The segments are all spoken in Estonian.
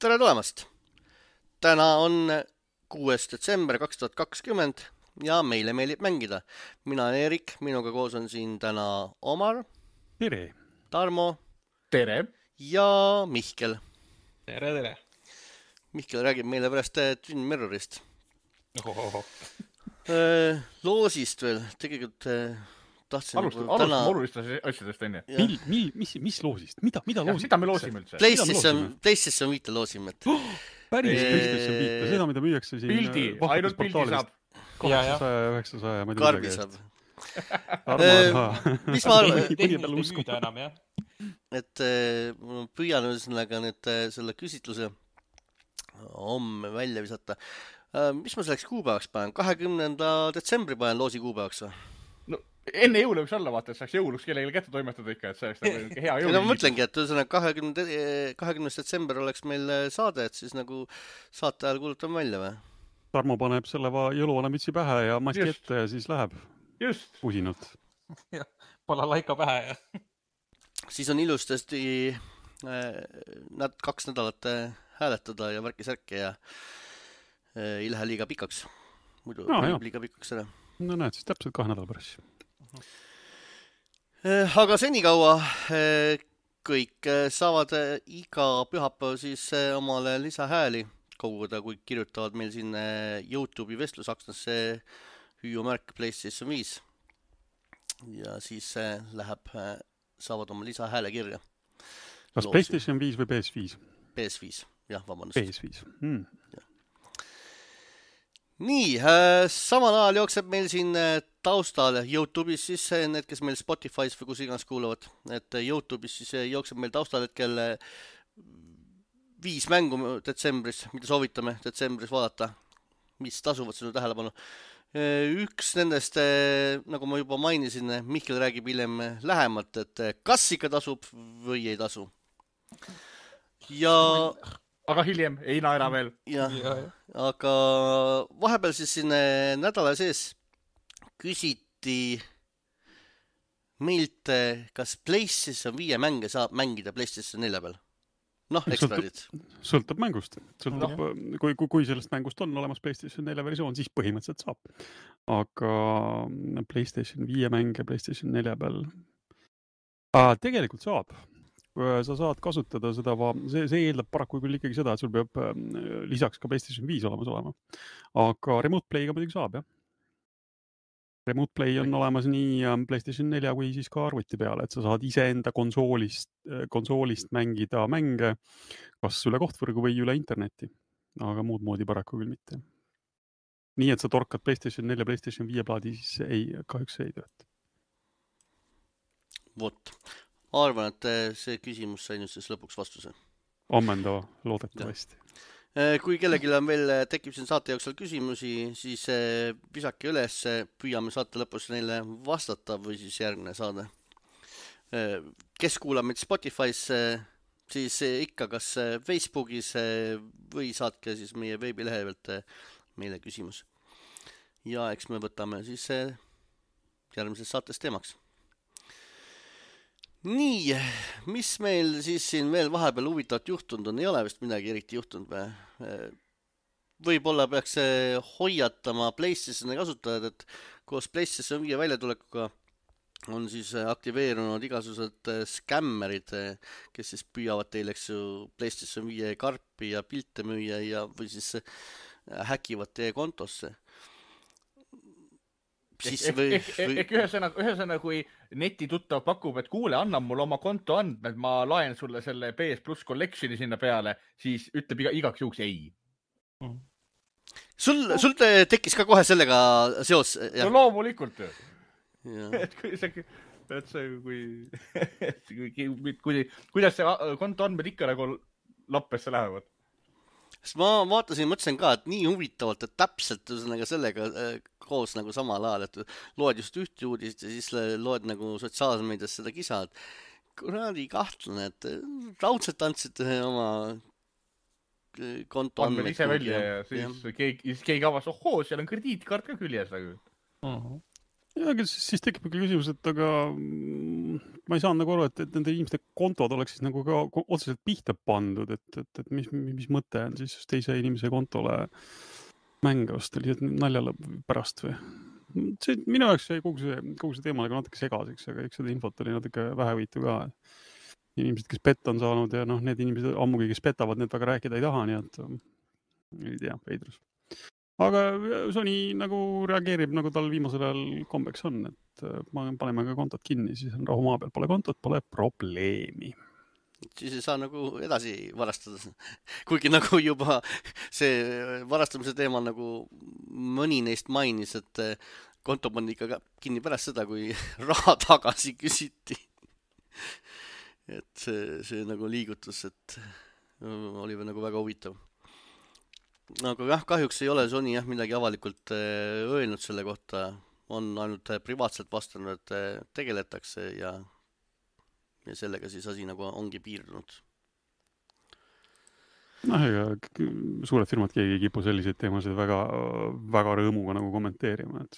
Tere tulemast! Täna on 6. detsember 2020 ja meile meeldib mängida. Mina olen Erik, minuga koos on siin täna Omar, Tere! Tarmo Tere! ja Mihkel. Tere, tere! Mihkel räägib meile pärast Twin Mirrorist. Ohohoho. Loosist veel, tegelikult tahtsin Alustame olulistest asjadest enne. Mis loosist? Mida loosime? Mida me loosime üldse? PlayStation 5 loosime. Päris PlayStation 5, seda mida müüakse siin Pildi, ainult pildi saab. 800, 900 Karbi saab. Mis ma arvan? Tehniliselt ei müüda enam, jah. Et püüan ühesõnaga nüüd selle küsitluse homme välja visata. Mis ma selleks kuupäevaks panen? 20. detsembri panen loosi kuupäevaks või? No, enne jõule võiks olla, vaata, et saaks jõuluks kellelegi kätte toimetada ikka, et see oleks hea jõul. Ma mõtlengi, et ühesõnaga 20. detsember oleks meil saade, et siis nagu saate ajal kuulutame välja või? Tarmo paneb selle jõuluvanamütsi pähe ja maski ette ja siis läheb pusinult. Pole laika pähe ja... Siis on ilustasti 2 nädalat hääletada ja värki-särki ja ei lähe liiga pikaks. Muidu liiga pikaks ära. No näed, siis täpselt 2 nädala pärast. Aga senikaua kõik saavad iga pühapäev siis omale lisahääli koguda, kui kirjutavad meil siin YouTube'i vestlusaknasse hüüumärk PlayStation 5. Ja siis saavad oma lisahääle kirja. Kas PlayStation 5 või PS5? PS5, jah, vabandust. PS5. Ja. Nii, samal ajal jookseb meil siin taustal YouTube'is siis need, kes meil Spotify's või kus iganes kuulavad, et YouTube'is siis jookseb meil taustal hetkel 5 mängu detsembris, mida soovitame detsembris vaadata, mis tasuvad sinu tähelepanu. Üks nendest, nagu ma juba mainisin, Mihkel räägib hiljem lähemalt, et kas ikka tasub või ei tasu. Ja... Aga hiljem, ei naera veel. Aga vahepeal siis siin nädala sees küsiti meilt, kas PlayStation 5 mänge saab mängida PlayStation 4 peal. Noh, eksperdid. Sõltub mängust. Kui sellest mängust on olemas PlayStation 4 versioon, siis põhimõtteliselt saab. Aga PlayStation 5 mänge PlayStation 4 peal tegelikult saab. Sa saad kasutada seda, see eeldab paraku küll ikkagi seda, et sul peab lisaks ka PlayStation 5 olemas olema. Aga Remote Play'ga muidugi saab, jah. Remote Play on olemas nii PlayStation 4 kui siis ka arvuti peale, et sa saad iseenda konsoolist mängida mänge kas üle kohtvõrgu või üle interneti. Aga muud moodi paraku küll mitte. Nii, et sa torkad PlayStation 4 ja PlayStation 5 plaadi, siis kahjuks ei tööta. Vot. Arvan, et see küsimus sai nüüd siis lõpuks vastuse. Ammendava, loodetavasti. Kui kellelgi on veel tekib siin saate jooksul küsimusi, siis visake üles, püüame saate lõpus neile vastata või siis järgmine saade. Kes kuulab meid Spotify's, siis ikka kas Facebookis või saatke siis meie veebilehe pealt meile küsimus. Ja eks me võtame siis järgmises saates teemaks. Nii, mis meil siis siin veel vahepeal huvitavat juhtunud on? Ei ole vist midagi eriti juhtunud või? Võib-olla peaks hoiatama PlayStationi kasutajad, et koos PlayStation 5 väljatulekuga on siis aktiveerunud igasugused skämmerid, kes siis püüavad teile PlayStation 5 karpi ja pilte müüa ja või siis häkivad teie kontosse. Ehk ühesõnaga, kui netituttav pakub, et kuule, anna mul oma konto andmed, ma laen sulle selle PS Plus Collectioni sinna peale, siis ütleb igaks juhuks ei. Sul tekkis ka kohe sellega seos? No loomulikult. Kuidas see konto andmed ikka nagu lappesse lähevad? Sest ma vaatasin, mõtlesin ka, et nii huvitavalt, et täpselt sellega koos nagu samal ajal, et loed just ühte uudist ja siis loed nagu sotsiaalmeedias seda kisa, et kuradi kahtlane, et raudselt andsid oma konto andmed ise välja ja siis keegi avas, ohoo, seal on krediitkaart ka küljes. Ja, siis tekib küsimus, et aga ma ei saanud nagu aru, et nende inimeste kontod oleks siis nagu ka otseselt pihta pandud, et mis mõte on siis teise inimese kontole mänge osta lihtsalt naljale pärast või? Minu jaoks jäi kogu see teema nagu natuke segaseks, aga eks seda infot oli natuke vähevõitu ka. Inimesed, kes pett on saanud ja need inimesed ammugi, kes petavad, need väga rääkida ei taha, nii et ei tea, veidrus. Aga Sony nagu reageerib, nagu tal viimasel ajal kombeks on, et paneme ka kontot kinni, siis on rahu maa peal, pole kontot, pole probleemi. Siis ei saa nagu edasi varastada. Kuigi nagu juba see varastamise teema nagu mõni neist mainis, et konto pandi ikka kinni pärast seda, kui raha tagasi küsiti. Et see nagu liigutus, et oli nagu väga huvitav. Aga jah, kahjuks ei ole Sony midagi avalikult öelnud selle kohta. On ainult privaatselt vastanud, et tegeletakse ja sellega siis asi nagu ongi piirdunud. Ega suured firmad keegi ei kipu selliseid teemasid väga rõõmuga nagu kommenteerima. Et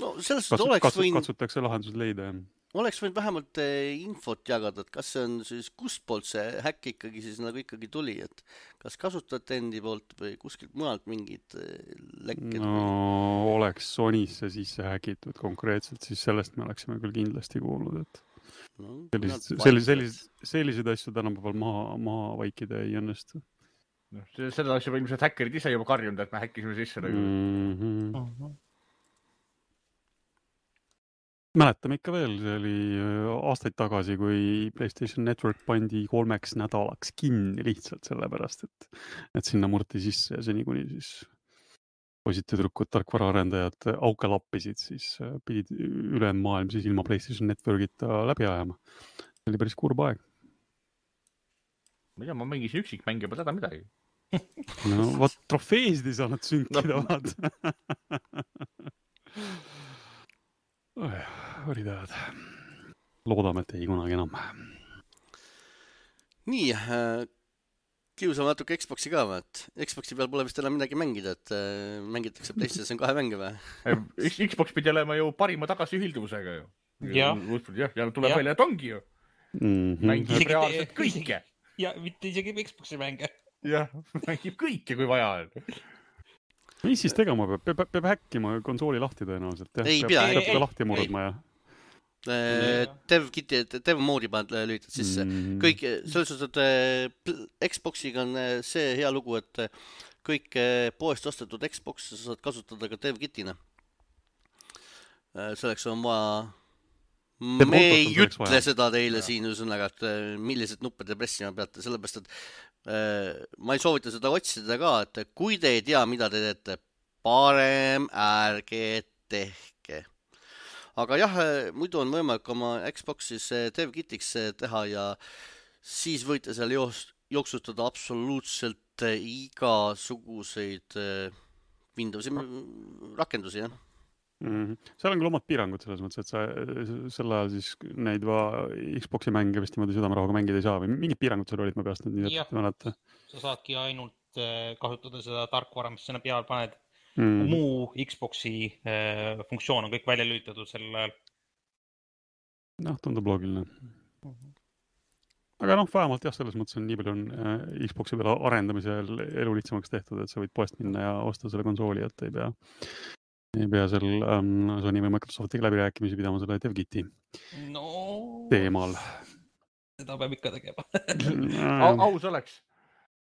no selles oleks katsutakse lahendused leida. Oleks võinud vähemalt infot jagada, et kas see on siis kustpoolt see häkk ikkagi tuli, et kas kasutajate endi poolt või kuskilt mujalt mingid lekked? No oleks Sonysse sisse häkitud konkreetselt, siis sellest me oleksime küll kindlasti kuulnud, et sellised asju tänapäeval maha vaikida ei õnnestu. Seda oleks juba ilmselt häkkerid ise juba karjunud, et me häkkisime sisse. Mäletame ikka veel, see oli aastaid tagasi, kui PlayStation Network pandi 3 nädalaks kinni lihtsalt sellepärast, et sinna murti sisse ja seni kuni siis poisid tüdrukud, tarkvaraarendajad auke lappisid, siis pidid ülejäänud maailm siis ilma PlayStation Networkita läbi ajama. See oli päris kurb aeg. Ma mängisin üksikmänge juba täda midagi. No vaat trofeesid ei saanud sünkida, vaat. Oli tahad. Loodame, et ei kunagi enam. Nii, kiusame natuke Xboxi ka, et Xboxi peal pole vist enam midagi mängida, et mängitakse PlayStation 2 mänge või? Xbox pidi olema ju parima tagasiühilduvusega ju. Ja tuleb välja, et ongi ju. Mängib reaalselt kõike. Ja mitte isegi Xboxi mänge. Jah, mängib kõike, kui vaja on. Mis siis tegema peab häkkima konsooli lahti tõenäoliselt? Ei pea. Peab seda lahti murdma ja... Dev-moodi paned lülitad sisse. Kõik, selles suhtes, et Xboxiga on see hea lugu, et kõik poest ostetud Xbox saad kasutada ka Dev-kitina. Selleks on vaja... Me ei ütle seda teile siin üsõnaga, et millised nuppe te pressima peate, sellepärast, et ma ei soovita seda otsida ka, et kui te ei tea, mida te teete, parem ärge tehke. Aga jah, muidu on võimalik oma Xboxis Dev-kitiks teha ja siis võite seal jooksutada absoluutselt igasuguseid Windowsi rakendusi, jah. Seal on küll omad piirangud selles mõttes, et sa selle ajal siis neid Xboxi mänge vist niimoodi südamerahuga mängida ei saa või mingid piirangud seal olid, ma peast nüüd nii mäleta. Sa saadki ainult kasutada seda tarkvara, mis sinna peal paned. Muu Xboxi funktsioon on kõik välja lülitatud sellel ajal. Noh, tundub loogiline. Aga vähemalt jah, selles mõttes on nii palju on Xboxi peale arendamisel elu lihtsamaks tehtud, et sa võid poest minna ja osta selle konsooli, et ei pea seal Sony või Microsoftiga läbirääkimisi pidama selle Dev-kiti teemal. Seda peab ikka tegema. Aus oleks.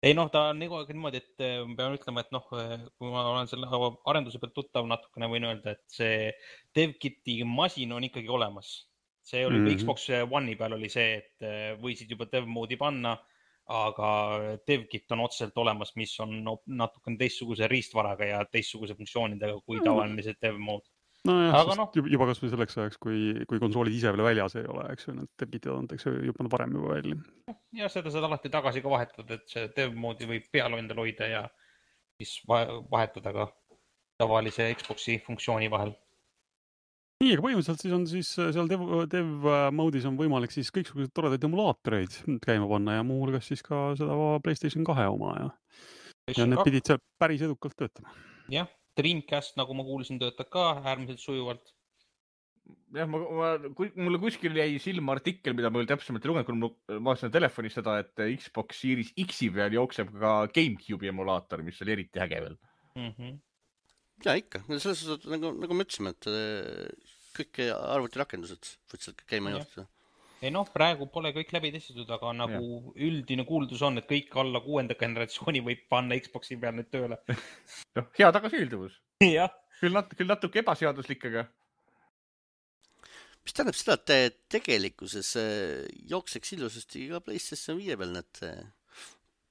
Ei ta on niimoodi, et pean ütlema, et kui ma olen selle arenduse pealt tuttav natukene, võin öelda, et see Dev-kiti masin on ikkagi olemas. See oli Xbox One'i peal oli see, et võisid juba Dev-moodi panna, aga Dev-kit on otseselt olemas, mis on natukene teistsuguse riistvaraga ja teistsuguse funktsioonidega kui tavaline see Dev-mood. Juba kas või selleks ajaks, kui konsoolid ise veel väljas ei ole, eks ju, need Dev-kitid on juba varem juba välja. Ja seda saad alati tagasi ka vahetada, et see Dev-moodi võib peal endal hoida ja siis vahetada ka tavalise Xboxi funktsiooni vahel. Nii, aga põhimõtteliselt siis on seal Dev-moodis on võimalik siis kõiksugused toredaid emulaatoreid käima panna ja muu hulgas siis ka seda PlayStation 2 oma ja need pidid seal päris edukalt töötama. Jah, Dreamcast, nagu ma kuulsin, töötab ka äärmiselt sujuvalt. jah, mulle kuskil jäi silma artikkel, mida ma veel täpsemalt ei lugenud, kui ma vaatasin telefonis seda, et Xbox Series X-i peal jookseb ka GameCube'i emulaator, mis oli eriti äge veel. Ja ikka, selles suhtes nagu me ütlesime, et kõik arvutirakendused võid seal käima juhtuda. Ei noh, praegu pole kõik läbi testitud, aga nagu üldine kuuldus on, et kõik alla 6. generatsiooni võib panna Xbox'i peal nüüd tööle. Noh, hea tagasiülduvus. Jah. Küll natuke ebaseaduslik, aga... Mis tähendab seda, et tegelikkuses jookseks ilusasti ka PlayStation 5 peal need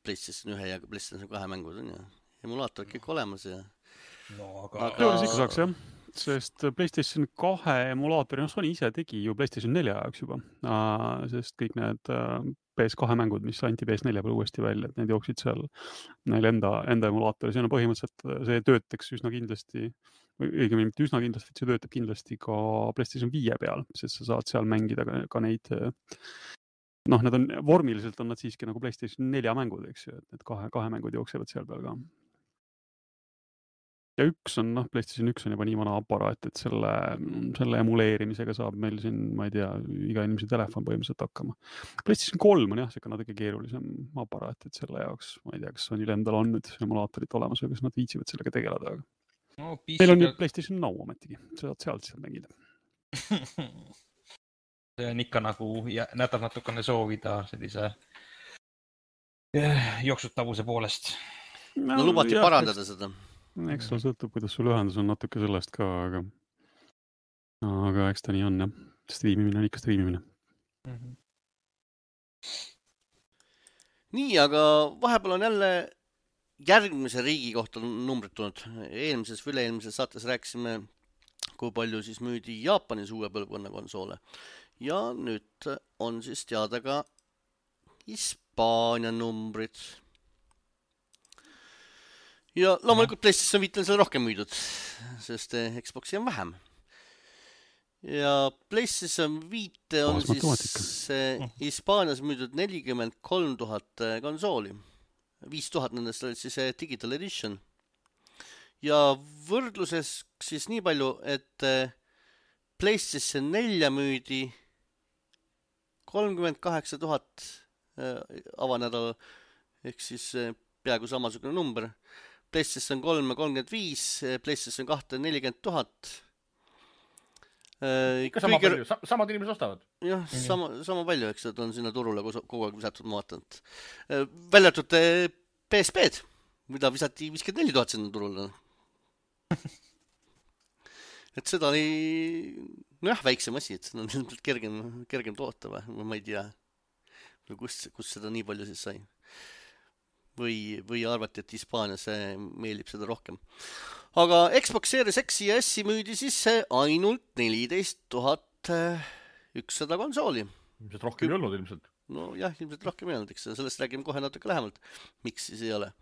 PlayStation 1 ja PlayStation 2 mängud on ja emulaator kõik olemas ja... No, aga... ikka saaks jah, sest PlayStation 2 emulaatori, Sony ise tegi ju PlayStation 4 ajaks juba, sest kõik need PS2 mängud, mis anti PS4 peal uuesti välja, et need jooksid seal neil enda emulaatori, see on põhimõtteliselt, see töötaks üsna kindlasti, või õigemini mitte üsna kindlasti, see töötab kindlasti ka PlayStation 5 peal, sest sa saad seal mängida ka neid, noh, need on, vormiliselt on nad siiski nagu PlayStation 4 mängud, eks ju, et need kahe mängud jooksevad seal peal ka. Ja PlayStation 1 on juba nii vana aparaat, et selle emuleerimisega saab meil siin, ma ei tea, iga inimese telefon põhimõtteliselt hakkama. PlayStation 3 on jah, see natuke keerulisem aparaat, et selle jaoks, ma ei tea, kas Sonyl endal on nüüd emulaatorit olemas või kas nad viitsivad sellega tegeleda, aga no, meil on nüüd PlayStation Now ometigi, saad sealt mängida. See on ikka nagu, nätab natukene soovida sellise jooksutavuse poolest. No lubati parandada seda. Eks seal sõltub, kuidas sul ühendus on natuke sellest ka, aga eks ta nii on, jah. Striimimine on ikka striimimine. Nii, aga vahepeal on jälle järgmise riigi kohta numbrid tulnud. Eelmises või üle-eelmises saates rääkisime, kui palju siis müüdi Jaapanis uue põlvkonna konsoole. Ja nüüd on siis teada ka Hispaania numbrid. Ja loomulikult PlayStation 5 on seal rohkem müüdud, sest Xboxi on vähem. Ja PlayStation 5 on siis Hispaanias müüdud 43 000 konsooli. 5000 nendest olid siis Digital Edition. Ja võrdluses siis nii palju, et PlayStation 4 müüdi 38 000 avanädal, ehk siis peaaegu samasugune number. PlayStation 3 35, PlayStation 2 40 000. Ikka sama palju, samad inimesed ostavad. Jah, sama palju, eks on sinna turule kogu aeg visatud, ma vaatan. Väljatud PSP-d, mida visati 54 000 sinna turule. Et seda oli, nojah, väiksem asi, et seda on kergem toota või ma ei tea, kus seda nii palju siis sai. Või arvati, et Hispaanias meeldib seda rohkem. Aga Xbox Series X ja S müüdi siis ainult 14 100 konsooli. Ilmselt rohkem ei olnud ilmselt. No jah, ilmselt rohkem ei olnud, eks sellest räägime kohe natuke lähemalt. Miks siis ei ole?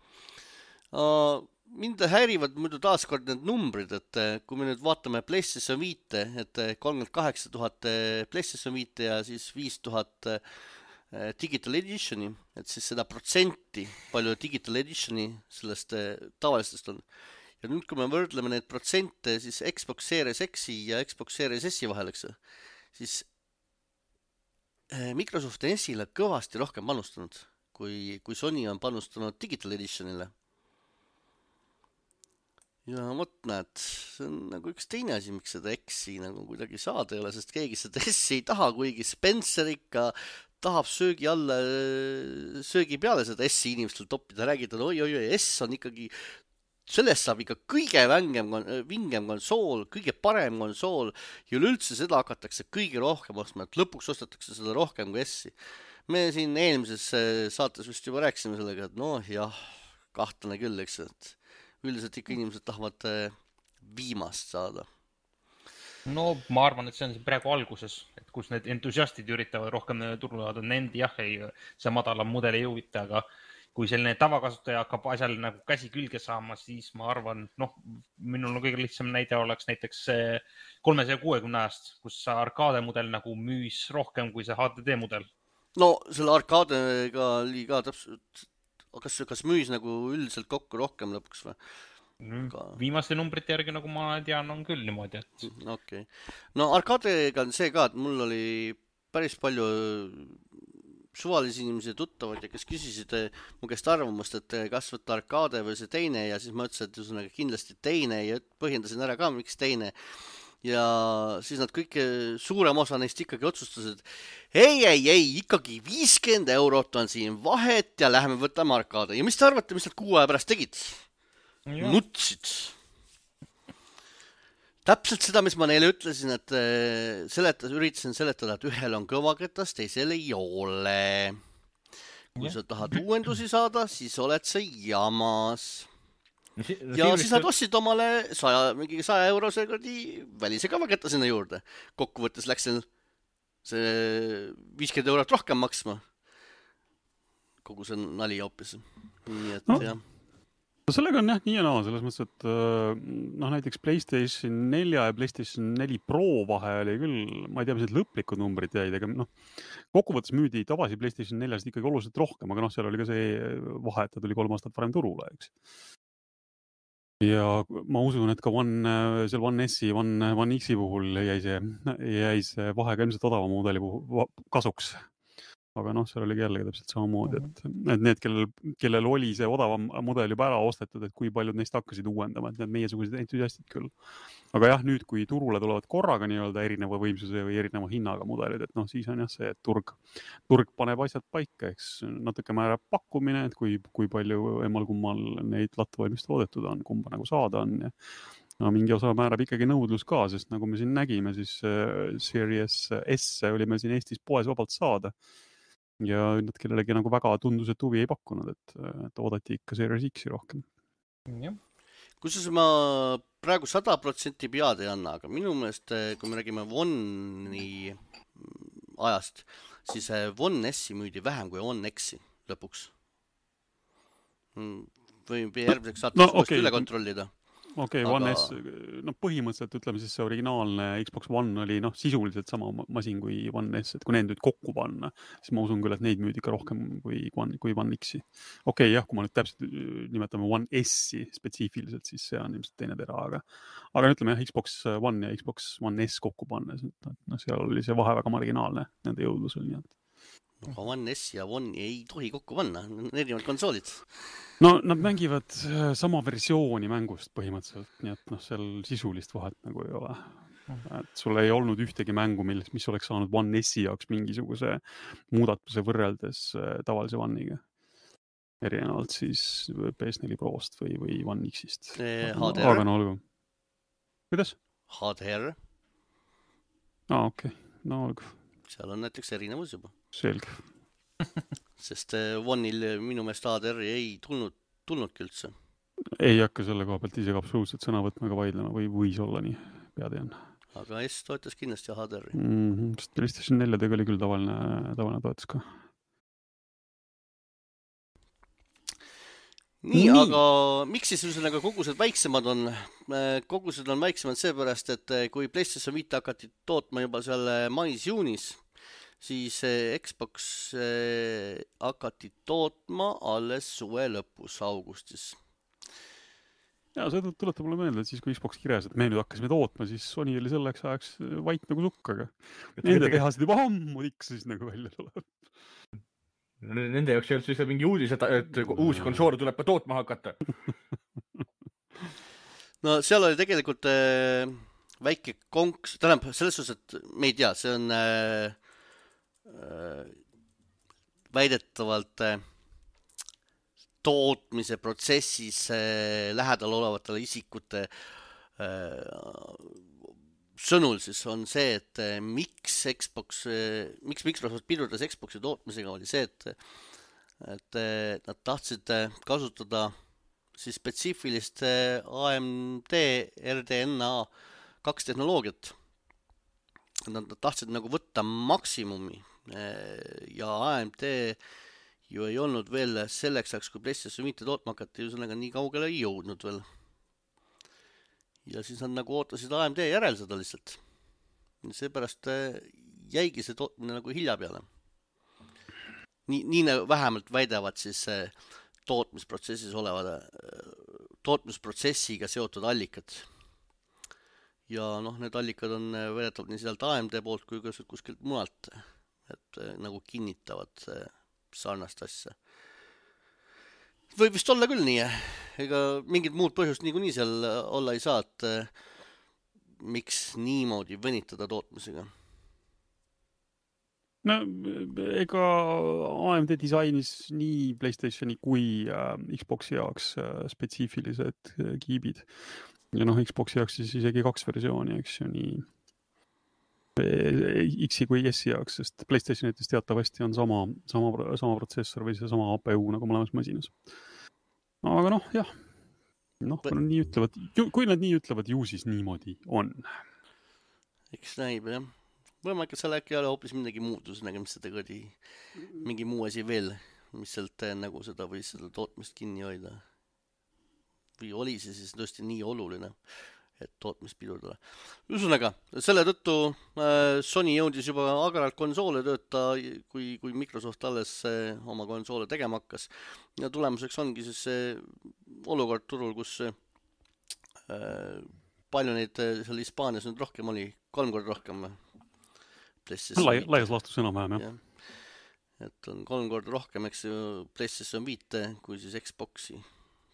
Mind häirivad muidu taaskord need numbrid, et kui me nüüd vaatame PlayStation 5, et 38 000 PlayStation 5 ja siis 5000 Digital Editioni, et siis seda protsenti, palju Digital Editioni sellest tavalistest on. Ja nüüd, kui me võrdleme need protsente siis Xbox Series X-i ja Xbox Series S-i vahel, eks, siis Microsoft on S-ile kõvasti rohkem panustanud, kui Sony on panustanud Digital Editionile. Ja vot näed, see on nagu üks teine asi, miks seda X-i nagu kuidagi saada ei ole, sest keegi seda S-i ei taha, kuigi Spencer ikka tahab söögi peale seda S-i inimestel toppida, räägida, oi, S on ikkagi, sellest saab ikka kõige vingem konsool, kõige parem konsool ja üleüldse seda hakatakse kõige rohkem ostma, et lõpuks ostetakse seda rohkem kui S-i. Me siin eelmises saates vist juba rääkisime sellega, et noh jah, kahtlane küll, eks, et üldiselt ikka inimesed tahavad viimast saada. No ma arvan, et see on praegu alguses, et kus need entusiastid üritavad rohkem turule saada, nende jah, see madalam mudel ei huvita, aga kui selline tavakasutaja hakkab asjal nagu käsi külge saama, siis ma arvan, minul on kõige lihtsam näide oleks näiteks 360 ajast, kus see arkaade mudel nagu müüs rohkem kui see HDD mudel. No selle arkaadega oli ka täpselt, kas müüs nagu üldiselt kokku rohkem lõpuks või? Viimaste numbrite järgi, nagu ma tean, on küll niimoodi, et... Okay. No arkaadega on see ka, et mul oli päris palju suvalisi inimesi tuttavad ja kes küsisid mu käest arvamust, et kas võtta arkaade või see teine ja siis ma ütlesin, et ühesõnaga kindlasti teine ja põhjendasin ära ka, miks teine. Ja siis nad kõik, suurem osa neist ikkagi otsustasid, ei, ikkagi 50 eurot on siin vahet ja läheme võtame arkaade. Ja mis te arvate, mis nad 6 aja pärast tegid? Nutsid. Täpselt seda, mis ma neile ütlesin, et üritasin seletada, et ühel on kõvaketas, teisel ei ole. Kui sa tahad uuendusi saada, siis oled sa jamas. Ja siis nad ostsid omale 100 eurose välise kõvaketta sinna juurde. Kokkuvõttes läks see 50 eurot rohkem maksma. Kogu see nali hoopis. Nii et jah. Sellega on jah nii ja naa, selles mõttes, et näiteks PlayStation 4 ja PlayStation 4 Pro vahe oli küll, ma ei tea, mis need lõplikud numbrid jäid, aga kokkuvõttes müüdi tavasi PlayStation 4-st ikkagi oluliselt rohkem, aga seal oli ka see vahe, et ta tuli 3 aastat varem turule, eks. Ja ma usun, et ka seal One S-i, One X-i puhul jäi see vahe ka ilmselt odava mudeli kasuks. Aga seal oligi jällegi täpselt samamoodi, et need, kellel oli see odavam mudel juba ära ostetud, et kui paljud neist hakkasid uuendama, et need meiesugused entusiastid küll. Aga jah, nüüd, kui turule tulevad korraga nii-öelda erineva võimsuse või erineva hinnaga mudelid, et siis on jah see, et turg paneb asjad paika, eks natuke määrab pakkumine, et kui palju emmal-kummal neid lattuvalmist toodetud on, kumba nagu saada on ja mingi osa määrab ikkagi nõudlus ka, sest nagu me siin nägime, siis Series S oli meil siin Eestis poes vabalt saada. Ja nad kellelegi nagu väga tundus, et huvi ei pakkunud, et oodati ikka Series X-i rohkem. Kusjuures ma praegu 100% pead ei anna, aga minu meelest, kui me räägime One'i ajast, siis One S-i müüdi vähem kui One X-i lõpuks. Või järgmiseks saate uuesti üle kontrollida. Okei, One S, põhimõtteliselt ütleme siis see originaalne Xbox One oli sisuliselt sama masin kui One S, et kui need nüüd kokku panna, siis ma usun küll, et neid müüdi ikka rohkem kui One X-i. Okei, jah, kui ma nüüd täpselt nimetame One S-i spetsiifiliselt, siis see on ilmselt teine tera, aga ütleme jah, Xbox One ja Xbox One S kokku panna, seal oli see vahe väga marginaalne, nende jõudlus oli nii, et One S ja One ei tohi kokku panna, erinevad konsoolid. Nad mängivad sama versiooni mängust põhimõtteliselt, nii et seal sisulist vahet nagu ei ole. Et sul ei olnud ühtegi mängu, mis oleks saanud One S-i jaoks mingisuguse muudatuse võrreldes tavalise One'iga. Erinevalt siis PS4 Prost või One X-ist. HDR. Aga olgu. Kuidas? HDR. Okei. Olgu. Seal on näiteks erinevus juba. Selge. Sest One'il minu meelest HDR-i ei tulnudki üldse. Ei hakka selle koha pealt isegi absoluutselt sõna võtma ega vaidlema või võis olla nii, pead ei on. Aga S toetas kindlasti HDR-i. Sest PlayStation 4 oli küll tavaline toetus ka. Nii, aga miks siis ühesõnaga kogused väiksemad on? Kogused on väiksemad seepärast, et kui PlayStation 5 hakati tootma juba seal mais-juunis, siis Xbox hakati tootma alles suve lõpus, augustis. Ja see tuletab mulle meelde, et siis kui Xbox kirjas, et me nüüd hakkasime tootma, siis Sony oli selleks ajaks vait nagu sukkaga. Nende tehased juba ammu tiksis nagu välja tuleb. Nende jaoks ei olnud siis mingi uudis, et uusi konsoole tuleb ka tootma hakata. No seal oli tegelikult väike konks, tähendab selles suhtes, et me ei tea, see on väidetavalt tootmise protsessis lähedal olevatele isikute sõnul siis on see, et miks Microsoft pidurdas Xboxi tootmisega oli see, et nad tahtsid kasutada siis spetsiifilist AMD RDNA 2 tehnoloogiat. Nad tahtsid nagu võtta maksimumi ja AMD ju ei olnud veel selleks ajaks, kui PlayStation 5 tootma hakati, ühesõnaga nii kaugele ei jõudnud veel. Ja siis nad nagu ootasid AMD järel seda lihtsalt. Seepärast jäigi see tootmine nagu hilja peale. Nii vähemalt väidavad siis tootmisprotsessis olevad tootmisprotsessiga seotud allikad. Ja need allikad on väidetavalt nii sealt AMD poolt kui ka kuskilt mujalt, et nagu kinnitavad sarnast asja. Võib vist olla küll nii, ega mingit muud põhjust niikuinii seal olla ei saa, et miks niimoodi venitada tootmisega. No ega AMD disainis nii PlayStationi kui Xboxi jaoks spetsiifilised kiibid. Ja Xboxi jaoks siis isegi 2 versiooni, eks ju, nii X-i kui S-i jaoks, sest PlayStationites teatavasti on sama protsessor või see sama APU nagu mõlemas masinas. Aga jah. Kui nad nii ütlevad, kui nad nii ütlevad, ju siis niimoodi on. Eks näib, jah. Võimalik, et seal äkki ei ole hoopis midagi muud, mis seda mingi muu asi veel, mis sealt nagu seda või seda tootmist kinni hoida. Või oli see siis tõesti nii oluline, et tootmist pidurdada. Ühesõnaga, selle tõttu Sony jõudis juba agaralt konsoole tööta, kui Microsoft alles oma konsoole tegema hakkas. Ja tulemuseks ongi siis see olukord turul, kus palju neid seal Hispaanias nüüd rohkem oli, 3 korda rohkem. Laias laastus enam-vähem, jah. Et on 3 korda rohkem, eks ju, PlayStation 5 kui siis Xboxi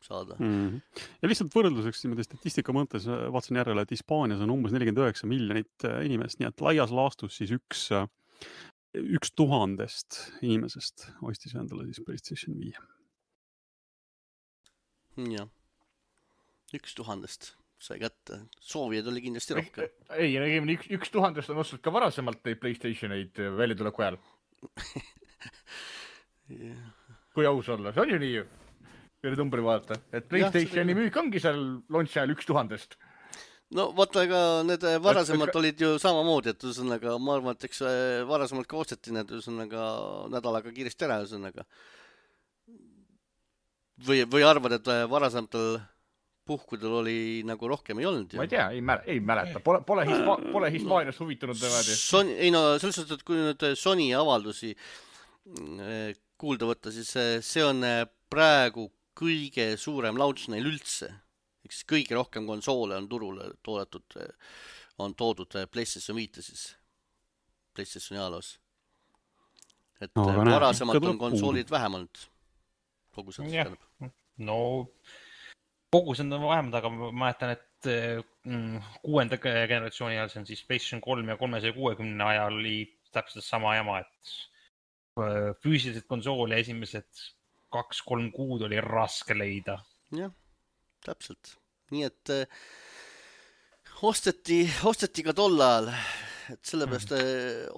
saada. Ja lihtsalt võrdluseks statistika mõttes vaatasin järele, et Hispaanias on umbes 49 miljonit inimest, nii et laias laastus siis 1000 inimesest ostis endale siis PlayStation 5. Jah, 1000 sai kätte. Soovijaid oli kindlasti rohkem. Ei, 1000 on ostnud ka varasemalt neid PlayStationeid väljatuleku ajal. Kui aus olla, see on ju nii ju. Pere numbri vaadata, et PlayStationi müük ongi seal launch ajal 1000. No vaata, ega need varasemalt olid ju samamoodi, et ühesõnaga, ma arvan, et eks varasemalt ka osteti need ühesõnaga nädalaga kiiresti ära ühesõnaga. Või arvad, et varasematel puhkudel oli nagu rohkem ei olnud? Ma ei tea, ei mäleta. Pole Hispaanias huvitunud niimoodi. Ei no, selles suhtes, et kui nüüd Sony avaldusi kuulda võtta, siis see on praegu kõige suurem launch neil üldse. Eks kõige rohkem konsoole on turule toodud PlayStation 5 siis. PlayStation ajaloos. Et varasemalt on konsoolid vähem olnud. Kogused tähendab. No kogused on vähemad, aga ma mäletan, et 6. generatsiooni ajal, see on siis PlayStation 3 ja 360 ajal oli täpselt sama jama, et füüsilised konsooli esimesed 2-3 kuud oli raske leida. Jah, täpselt. Nii et osteti ka tol ajal, et sellepärast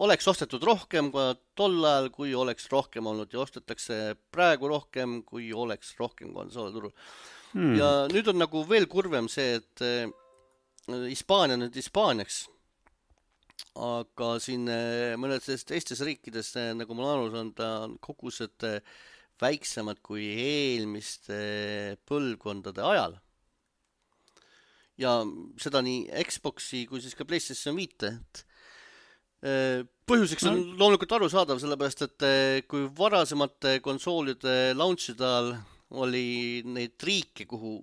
oleks ostetud rohkem ka tol ajal, kui oleks rohkem olnud ja ostetakse praegu rohkem, kui oleks rohkem konsoole turul. Ja nüüd on nagu veel kurvem see, et Hispaania on nüüd Hispaaniaks, aga siin mõned teistes riikides, nagu ma aru saan, on kogused väiksemad kui eelmiste põlvkondade ajal. Ja seda nii Xboxi kui siis ka PlayStation 5. Põhjuseks on loomulikult arusaadav, sellepärast, et kui varasemate konsoolide launchide ajal oli neid riike, kuhu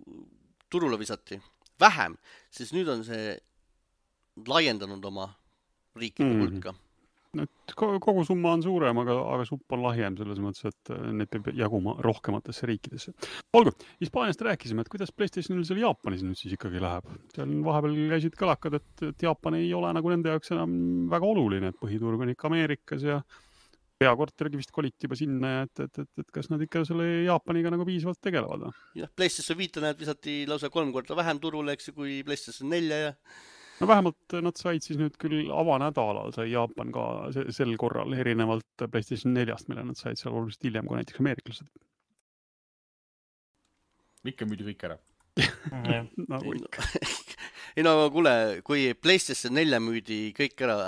turule visati vähem, siis nüüd on see laiendanud oma riikide hulka. Kogu summa on suurem, aga supp on lahjem selles mõttes, et need peab jaguma rohkematesse riikidesse. Olgu, Hispaaniast rääkisime, et kuidas PlayStationil seal Jaapanis nüüd siis ikkagi läheb. Seal vahepeal käisid kõlakad, et Jaapan ei ole nagu nende jaoks enam väga oluline, et põhiturg on ikka Ameerikas ja peakortergi vist koliti juba sinna, et kas nad ikka selle Jaapaniga nagu piisavalt tegelevad? Jah, PlayStation 5 näed visati lausa 3 korda vähem turule, eks, kui PlayStation 4 ja no vähemalt nad said siis nüüd küll avanädalal sai Jaapan ka sel korral erinevalt PlayStation 4-st, mille nad said seal oluliselt hiljem kui näiteks ameeriklased. Ikka müüdi kõik ära. Ei no kuule, kui PlayStation 4 müüdi kõik ära,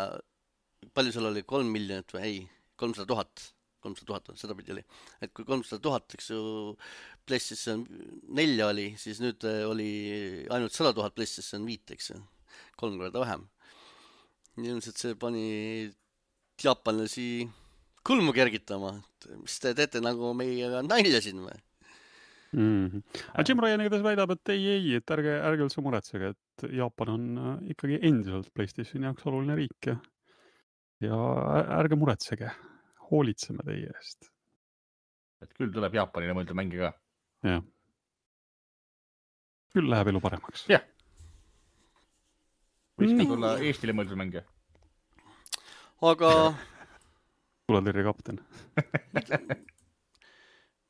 palju seal oli, 3 miljonit või ei, 300 000, seda pidi oli. Et kui 300 000, eks ju, PlayStation 4 oli, siis nüüd oli ainult 100 000 PlayStation 5, eks ju. 3 korda vähem. Ilmselt see pani jaapanlasi kulmu kergitama. Mis te teete nagu meiega nalja siin või? Aga Jim Ryan igatahes väidab, et ei, et ärge üldse muretsege, et Jaapan on ikkagi endiselt PlayStationi jaoks oluline riik ja ärge muretsege, hoolitseme teie eest. Et küll tuleb Jaapanile mõelda mänge ka. Jah. Küll läheb elu paremaks. Jah. Võiks ka tulla Eestile mõelda mänge. Aga Tuletõrje kapten.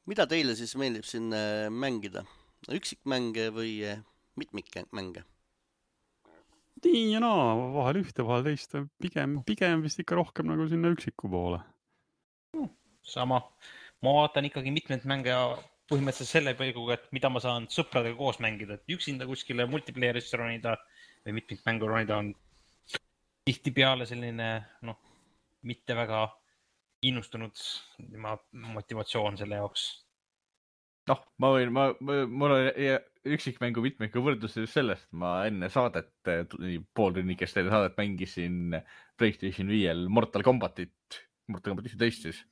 mida teile siis meeldib siin mängida? Üksikmänge või mitmikmänge? Nii ja naa, vahel ühte, vahel teist. Pigem vist ikka rohkem nagu sinna üksiku poole. Sama. Ma vaatan ikkagi mitmed mänge põhimõtteliselt selle pelguga, et mida ma saan sõpradega koos mängida. Et üksinda kuskile multiplayer'isse ronida või mitmikmängu ronida on tihtipeale selline, mitte väga innustunud motivatsioon selle jaoks. Mul on üksikmängu mitmikku võrdlus sellest. Ma enne saadet, pool tunnikest enne saadet mängisin PlayStation 5 Mortal Kombat 11 siis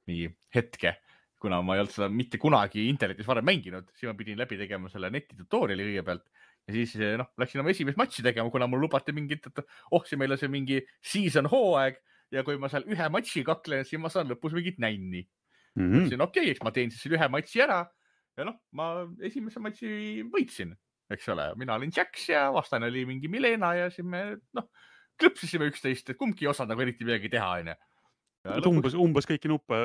mingi hetke, kuna ma ei olnud seda mitte kunagi internetis varem mänginud, siis ma pidin läbi tegema selle netitutoriali kõigepealt ja siis läksin oma esimest matši tegema, kuna mul lubati mingit, et see meil on see mingi season hooaeg ja kui ma seal ühe matši kaklen, siis ma saan lõpus mingit nänni. Mõtlesin, eks ma teen siis ühe matši ära ja ma esimese matši võitsin, eks ole. Mina olin Jax ja vastane oli mingi Milena ja siis me klõpsisime üksteist, et kumbki ei osanud nagu eriti midagi teha, on ju. Umbes kõiki nuppe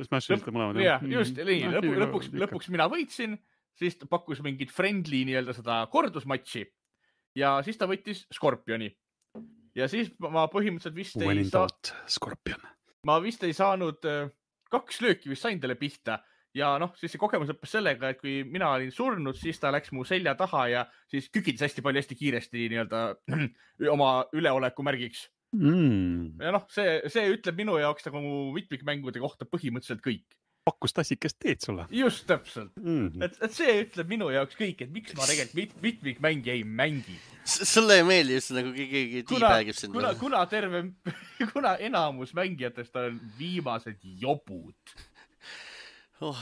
smash'isite mõlemad. Jah, just, nii. Lõpuks mina võitsin, siis ta pakkus mingit friendly nii-öelda seda kordusmatši ja siis ta võttis Scorpioni. Ja siis ma põhimõtteliselt vist ei saanud 2 lööki vist sain talle pihta ja siis see kogemus lõppes sellega, et kui mina olin surnud, siis ta läks mu selja taha ja siis kükitas hästi kiiresti nii-öelda oma üleoleku märgiks. Ja see ütleb minu jaoks nagu mu mitmikmängude kohta põhimõtteliselt kõik. Pakkus tassikest teed sulle. Just täpselt. Et see ütleb minu jaoks kõik, et miks ma tegelikult mitmikmängi ei mängi. Sulle ei meeldi just nagu keegi tiibägib sind. Kuna enamus mängijatest on viimased jobud.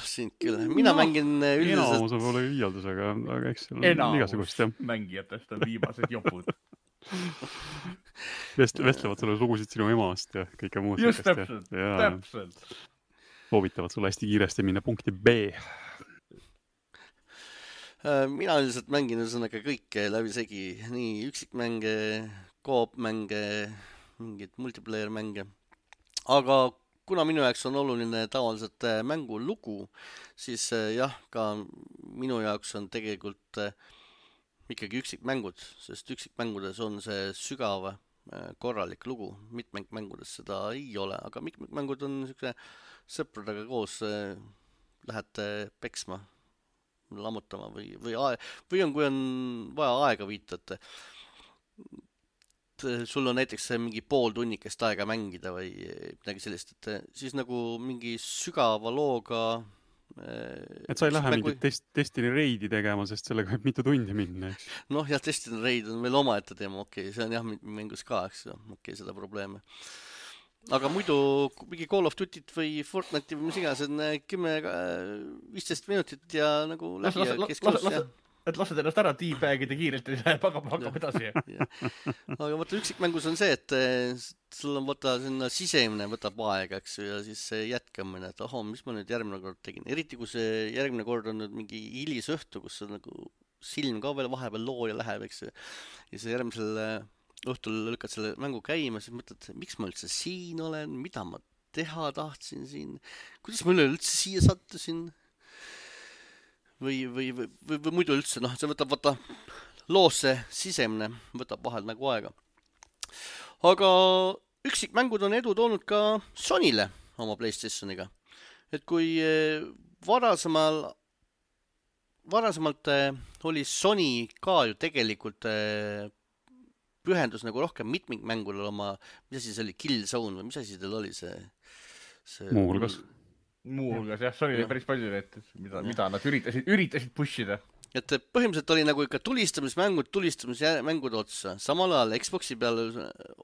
Sind küll. Mina mängin üldiselt... Enamus on võib-olla liialdus, aga eks seal on igasugust. Enamus mängijatest on viimased jobud. Vestlevad sulle lugusid sinu emast ja kõike muud. Just täpselt. Soovitavad sulle hästi kiiresti minna punkti B. Mina üldiselt mängin ühesõnaga kõike läbi segi. Nii üksikmänge, koop-mänge, mingid multiplayer-mänge. Aga kuna minu jaoks on oluline tavaliselt mängu lugu, siis jah, ka minu jaoks on tegelikult ikkagi üksikmängud, sest üksikmängudes on see sügav korralik lugu. Mitmikmängudes seda ei ole, aga mitmikmängud on niisugune sõpradega koos lähete peksma, lammutama või on, kui on vaja aega viita, et sul on näiteks mingi pool tunnikest aega mängida või midagi sellist, et siis nagu mingi sügava looga et sa ei lähe mingit Destiny Raidi tegema, sest sellega võib mitu tundi minna, eks? Jah, Destiny Raid on veel omaette teema, see on jah mängus ka, eks seda probleeme. Aga muidu mingi Call of Duty't või Fortnite'i või mis iganes on 10-15 minutit ja nagu läbi ja kesklus. Et lased ennast ära tiibägida kiirelt ja hakkab edasi. Aga võtta üksikmängus on see, et sul on sinna sisemine võtab aega, eks ju, ja siis see jätkamine, et mis ma nüüd järgmine kord tegin. Eriti kui see järgmine kord on nüüd mingi hilis õhtu, kus nagu silm ka veel vahepeal looja läheb, eks ju. Ja siis järgmisel õhtul lükkad selle mängu käima, siis mõtled, miks ma üldse siin olen, mida ma teha tahtsin siin, kuidas ma üleüldse siia sattusin. Või muidu üldse, see võtab loosse sisemne, võtab vahel nagu aega. Aga üksikmängud on edu toonud ka Sonyle oma PlayStationiga. Et kui varasemalt oli Sony ka ju tegelikult pühendus nagu rohkem mitmikmängule oma, mis asi see oli, Killzone või mis asi teil oli see? Muuhulgas, jah, Sony oli päris palju need, mida nad üritasid pushida. Et põhimõtteliselt oli nagu ikka tulistamismängud otsa. Samal ajal Xboxi peal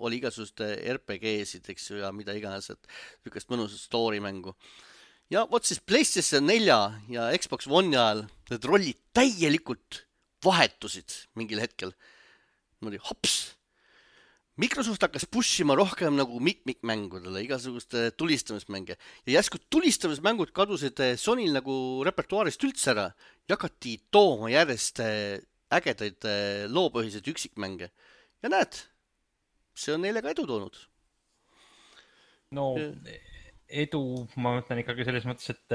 oli igasugust RPG-sid, eks ju, ja mida iganes, et niisugust mõnusat story mängu. ja vot siis PlayStation 4 ja Xbox One'i ajal need rollid täielikult vahetusid mingil hetkel. Niimoodi hops. Microsoft hakkas pushima rohkem nagu mitmikmängudele, igasuguste tulistamismänge. Ja järsku tulistamismängud kadusid Sonyl nagu repertuaarist üldse ära ja hakati tooma järjest ägedaid loopõhiseid üksikmänge. Ja näed, see on neile ka edu toonud. No edu, ma mõtlen ikkagi selles mõttes, et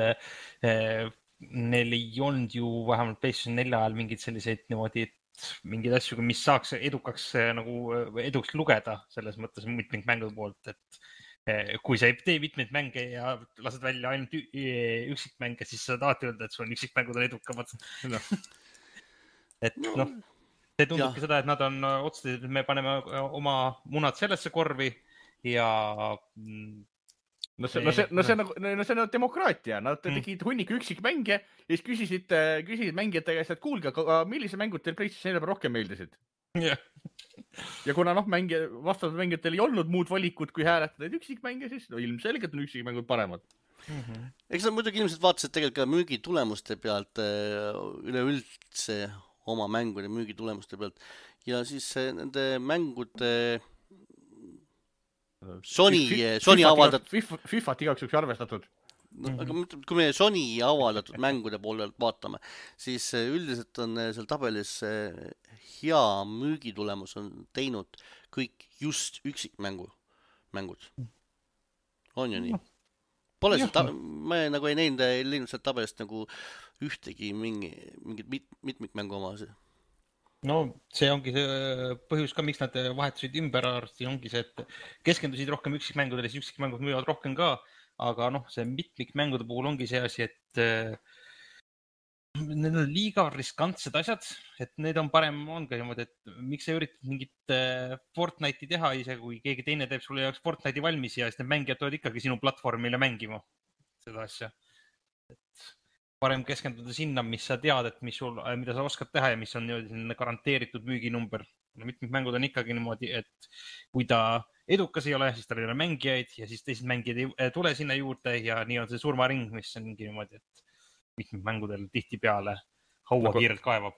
neil ei olnud ju vähemalt PlayStation 4 ajal mingeid selliseid niimoodi, mingeid asju, mis saaks edukaks nagu eduks lugeda selles mõttes mitmikmängude poolt, et kui sa ei tee mitmeid mänge ja lased välja ainult üksikmänge, siis sa tahad öelda, et sul on üksikmängud on edukamad. Et noh, see tundubki seda, et nad on otsustatud, et me paneme oma munad sellesse korvi ja No see on demokraatia, nad tegid hunniku üksikmänge ja siis küsisid mängijate käest, et kuulge, aga millise mängud teil PlayStation 4 rohkem meeldisid? Yeah. Ja kuna vastavalt mängijatel ei olnud muud valikut, kui hääletada üksikmänge, siis ilmselgelt on üksikmängud paremad. Eks nad muidugi ilmselt vaatasid tegelikult ka müügitulemuste pealt üleüldse oma mängude müügitulemuste pealt ja siis nende mängude Sony avaldatud FIFAt igaks juhuks arvestatud. Aga kui me Sony avaldatud mängude poolelt vaatame, siis üldiselt on seal tabelis hea müügitulemus on teinud kõik just üksikmängud. On ju nii? Pole ma nagu ei näinud sealt tabelist nagu ühtegi mingit mitmikmängu oma. No see ongi see põhjus ka, miks nad vahetasid ümber arsti, ongi see, et keskendusid rohkem üksikmängudele, siis üksikmängud müüvad rohkem ka, aga noh, see mitmikmängude puhul ongi see asi, et need on liiga riskantsed asjad, et need on parem, on ka niimoodi, et miks sa üritad mingit Fortnite'i teha ise, kui keegi teine teeb sulle jaoks Fortnite'i valmis ja siis need mängijad tulevad ikkagi sinu platvormile mängima seda asja. Et parem keskenduda sinna, mis sa tead, et mida sa oskad teha ja mis on garanteeritud müüginumber. Mitmikmängud on ikkagi niimoodi, et kui ta edukas ei ole, siis tal ei ole mängijaid ja siis teised mängijad ei tule sinna juurde ja nii on see surmaring, mis on niimoodi, et mitmikmängudel tihtipeale haua kiirelt kaevab.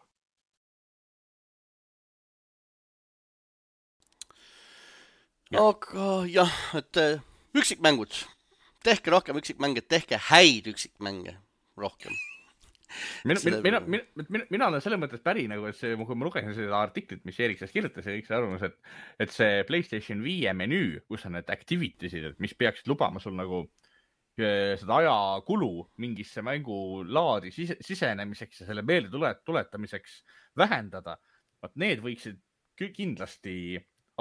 Aga jah, et üksikmängud. Tehke rohkem üksikmänge, tehke häid üksikmänge rohkem. Mina olen selle mõttes päri, nagu, et see, kui ma lugesin seda artiklit, mis Erik sellest kirjutas ja kõik see arvamus, et see PlayStation 5 menüü, kus on need activities'id, mis peaksid lubama sul nagu seda ajakulu mingisse mängulaadi sisenemiseks ja selle meelde tuletamiseks vähendada, vaat need võiksid kindlasti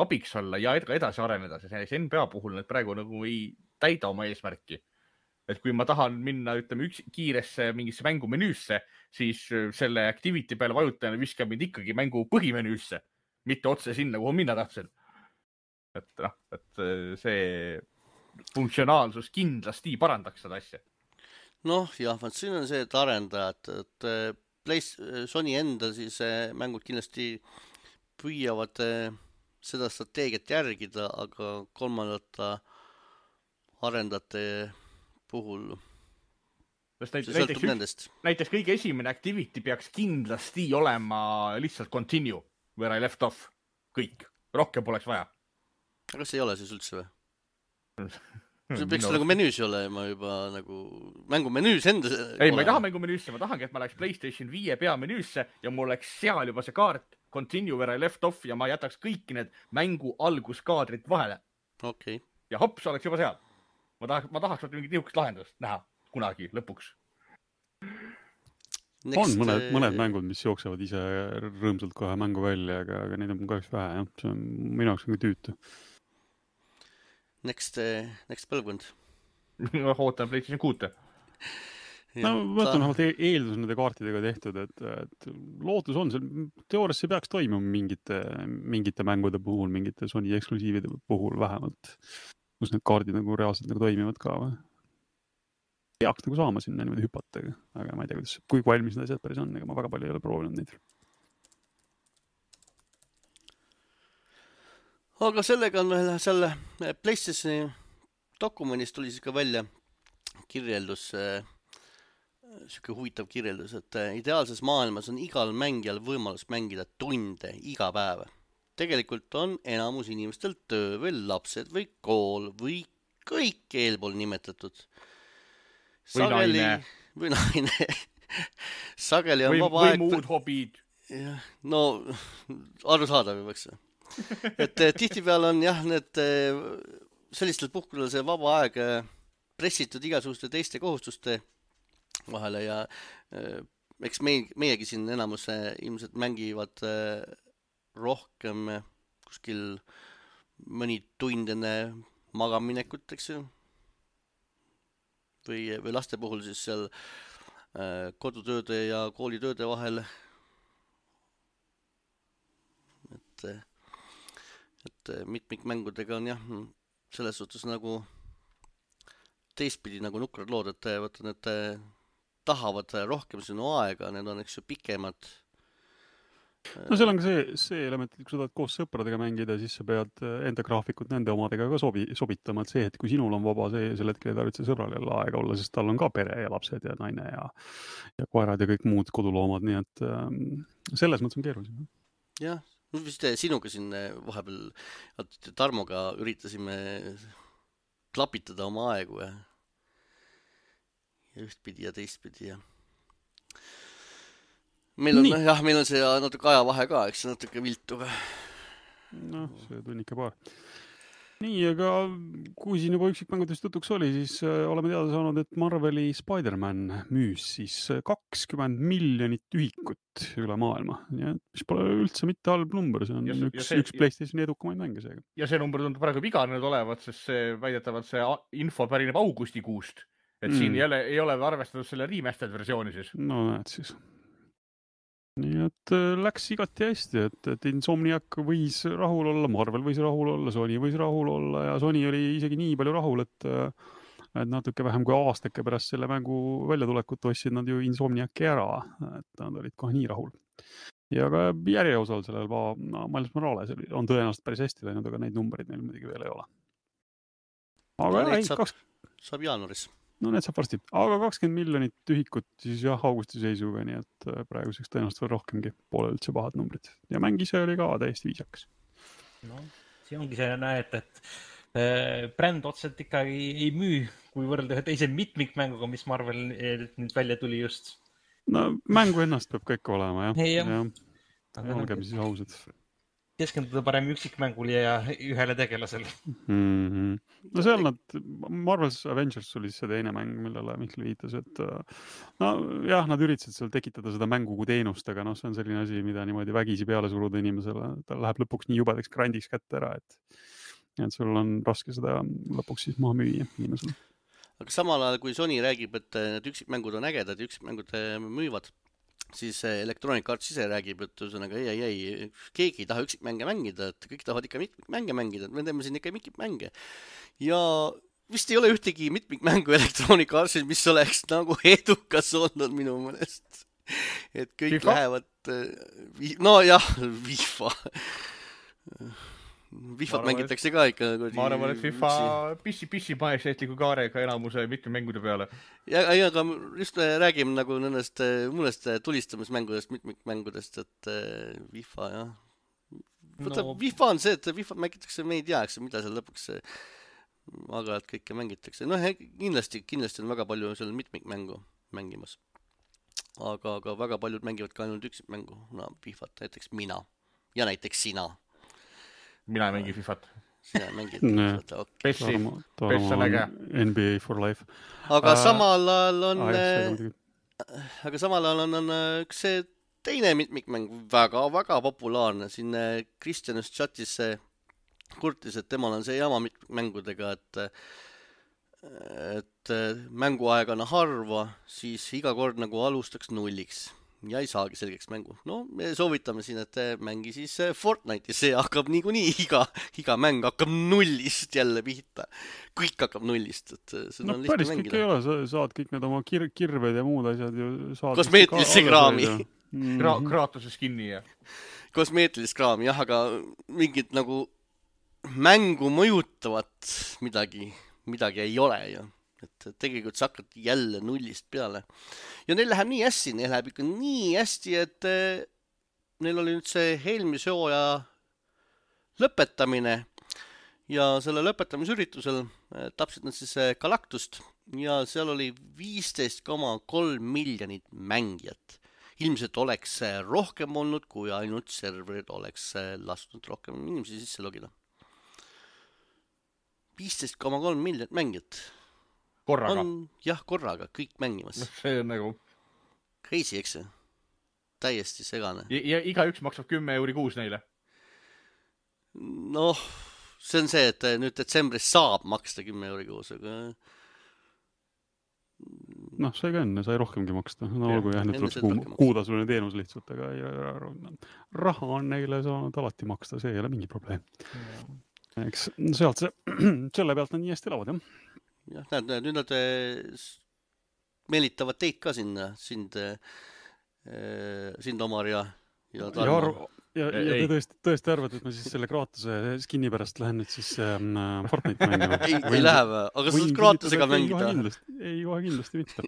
abiks olla ja edasi areneda, sest NBA puhul need praegu nagu ei täida oma eesmärki. Et kui ma tahan minna, ütleme, kiiresse mingisse mängumenüüsse, siis selle activity peale vajutajana viskab mind ikkagi mängu põhimenüüsse, mitte otse sinna, kuhu minna tahtsin. Et see funktsionaalsus kindlasti parandaks seda asja. Noh, jah, siin on see, et arendajad, et Sony enda siis mängud kindlasti püüavad seda strateegiat järgida, aga kolmandate arendajate puhul näiteks kõige esimene activity peaks kindlasti olema lihtsalt continue where I left off. Kõik. Rohkem poleks vaja. Aga see ei ole siis üldse või? See peaks nagu menüüs olema juba nagu mängumenüüs enda. Ei, ma ei taha mängumenüüsse, ma tahangi, et ma läheks PlayStation 5 peamenüüsse ja mul oleks seal juba see kaart continue where I left off ja ma jätaks kõik need mängu alguskaadrid vahele. Okay. Ja hops oleks juba seal. Ma tahaks mingit nihukest lahendust näha kunagi lõpuks. On mõned mängud, mis jooksevad ise rõõmsalt kohe mängu välja, aga neid on kahjuks vähe. Jah. See on minu jaoks nagu tüütu. Next põlvkond. Ootan PlayStation 6. No, võtan vähemalt eeldus nende kaartidega tehtud, et lootus on seal. Teoorias see peaks toimuma mingite mängude puhul, mingite Sony eksklusiivide puhul vähemalt. Kus need kaardid nagu reaalselt nagu toimivad ka või? Peaks nagu saama sinna niimoodi hüpata, aga ma ei tea, kui valmis need asjad päris on, ega ma väga palju ei ole proovinud neid. Aga sellega on veel selle PlayStationi dokumendist tuli siis ka välja kirjeldus, siuke huvitav kirjeldus, et ideaalses maailmas on igal mängijal võimalus mängida tunde iga päev. Tegelikult on enamus inimestel töö või lapsed või kool või kõik eelpool nimetatud. Sageli, või naine. Sageli on vaba aeg. Või muud hobid. No, arusaadav juba, eks. Et tihtipeale on jah, need sellistel puhkudel see vaba aeg pressitud igasuguste teiste kohustuste vahele ja eks meiegi siin enamus ilmselt mängivad rohkem kuskil mõni tund enne magaminekut, eks ju. Või laste puhul siis seal kodutööde ja koolitööde vahel. Et mitmikmängudega on jah, selles suhtes nagu teistpidi nagu nukrad lood, et vaata, need tahavad rohkem sinu aega, need on eks ju pikemad. No seal on ka see element, et kui sa tahad koos sõpradega mängida, siis sa pead enda graafikut nende omadega ka sobitama, et see, et kui sinul on vaba, sel hetkel ei tarvitse sõbral jälle aega olla, sest tal on ka pere ja lapsed ja naine ja koerad ja kõik muud koduloomad, nii et selles mõttes on keerulisem. Jah, vist sinuga siin vahepeal Tarmoga üritasime klapitada oma aegu ja ühtpidi ja teistpidi ja meil on see natuke ajavahe ka, eks natuke viltu ka. No, see tunnika paar. Nii, aga kui siin juba üksikmängudest jutuks oli, siis oleme teada saanud, et Marveli Spider-Man müüs siis 20 miljonit ühikut üle maailma. Ja, mis pole üldse mitte halb number, see on üks PlayStationi edukamaid mänge seega. Ja see number tundub praegu iganenud olevat, sest see väidetavalt see info pärineb augustikuust. Et siin ei ole arvestatud selle remastered versiooni siis. No näed siis. Nii et läks igati hästi, et Insomniac võis rahul olla, Marvel võis rahul olla, Sony võis rahul olla ja Sony oli isegi nii palju rahul, et natuke vähem kui aastake pärast selle mängu väljatulekut ostsid nad ju Insomniaci ära, et nad olid kohe nii rahul. Ja ka järjeosal sellel Miles Morales on tõenäoliselt päris hästi läinud, aga neid numbreid meil muidugi veel ei ole. Aga saab jaanuaris. No need saab varsti, aga 20 miljonit ühikut siis jah, augusti seisuga, nii et praeguseks tõenäoliselt veel rohkemgi pole üldse pahad numbrid. Ja mäng ise oli ka täiesti viisakas. No, see ongi see näed, et bränd otseselt ikkagi ei müü, kui võrrelda ühe teise mitmikmänguga, mis Marvel nüüd välja tuli just. No mängu ennast peab kõik olema, jah. Olgem siis ausad. Keskenduda parem üksikmängule ja ühele tegelasele. No seal Marvel's Avengers oli see teine mäng, millele Mihkel viitas, et nad üritasid seal tekitada seda mängu kui teenust, aga see on selline asi, mida niimoodi vägisi peale suruda inimesele. Ta läheb lõpuks nii jubedaks grandiks kätte ära, et sul on raske seda lõpuks siis maha müüa inimesele. Aga samal ajal, kui Sony räägib, et need üksikmängud on ägedad ja üksikmängud müüvad, siis Electronic Arts ise räägib, et ühesõnaga ei, keegi ei taha üksikmänge mängida, et kõik tahavad ikka mitmikmänge mängida, et me teeme siin ikka mitmikmänge. Ja vist ei ole ühtegi mitmikmängu Electronic Artsil, mis oleks nagu edukas olnud minu mõnest. Et kõik FIFA? Lähevad... No jah, FIFA. FIFA-t mängitakse ka ikka. Ma arvan, et FIFA pissi majesteetliku kaarega enamuse mitmikmängude peale. Ja aga just räägime nagu nendest mõnest tulistamismängudest, mitmikmängudest, et FIFA, jah. FIFA on see, et FIFA mängitakse, me ei tea, mida seal lõpuks aeg-ajalt kõike mängitakse. No kindlasti on väga palju seal mitmikmängu mängimas. Aga väga paljud mängivad ka ainult üksikmängu. No, FIFA-t, näiteks mina ja näiteks sina. Mina ei mängi FIFA-t. Sina ei mängi FIFA-t, okei. Pess on äge. NBA for life. Aga samal ajal on üks teine mitmikmäng väga populaarne. Siin Kristjanus chatis kurtis, et temal on see jama mitmikmängudega, et mänguaeg on harva, siis iga kord nagu alustaks nulliks. Ja ei saagi selgeks mängu. No, me soovitame siin, et mängi siis Fortnite'i. See hakkab niikuinii, iga mäng hakkab nullist jälle pihta. Kõik hakkab nullist. No päris kõik ei ole. Saad kõik need oma kirved ja muud asjad ju saad. Kosmeetilise kraami. Kraatuse skinni ja. Kosmeetilist kraami, jah, aga mingit nagu mängu mõjutavat midagi ei ole ju. et tegelikult sa hakkad jälle nullist peale. Ja neil läheb nii hästi, neil läheb ikka nii hästi, et neil oli nüüd see eelmise hooaja lõpetamine ja selle lõpetamisüritusel tapsid nad siis Galactust ja seal oli 15,3 miljonit mängijat. Ilmselt oleks rohkem olnud, kui ainult serverid oleks lasknud rohkem inimesi sisse logida. 15,3 miljonit mängijat. Korraga? Jah, korraga, kõik mängimas. See on nagu... Crazy, eks see? Täiesti segane. Ja iga üks maksab 10 € kuus neile? Noh, see on see, et nüüd detsembris saab maksta 10 € kuus, aga... Noh, see ka enne, sai rohkemgi maksta. No olgu jah, nüüd tuleb kuutasuline teenus lihtsalt, aga raha on neile saanud alati maksta, see ei ole mingi probleem. Eks sealt selle pealt nad nii hästi elavad, jah? Jah, näed, nüüd nad meelitavad teid ka sinna, sind Omar ja Tarmo. Ja te tõesti arvad, et ma siis selle Kratose skinni pärast lähen nüüd siis Fortnite mängima? Ei lähe või? Aga sa saad Kratosega mängida? Ei, kohe kindlasti mitte.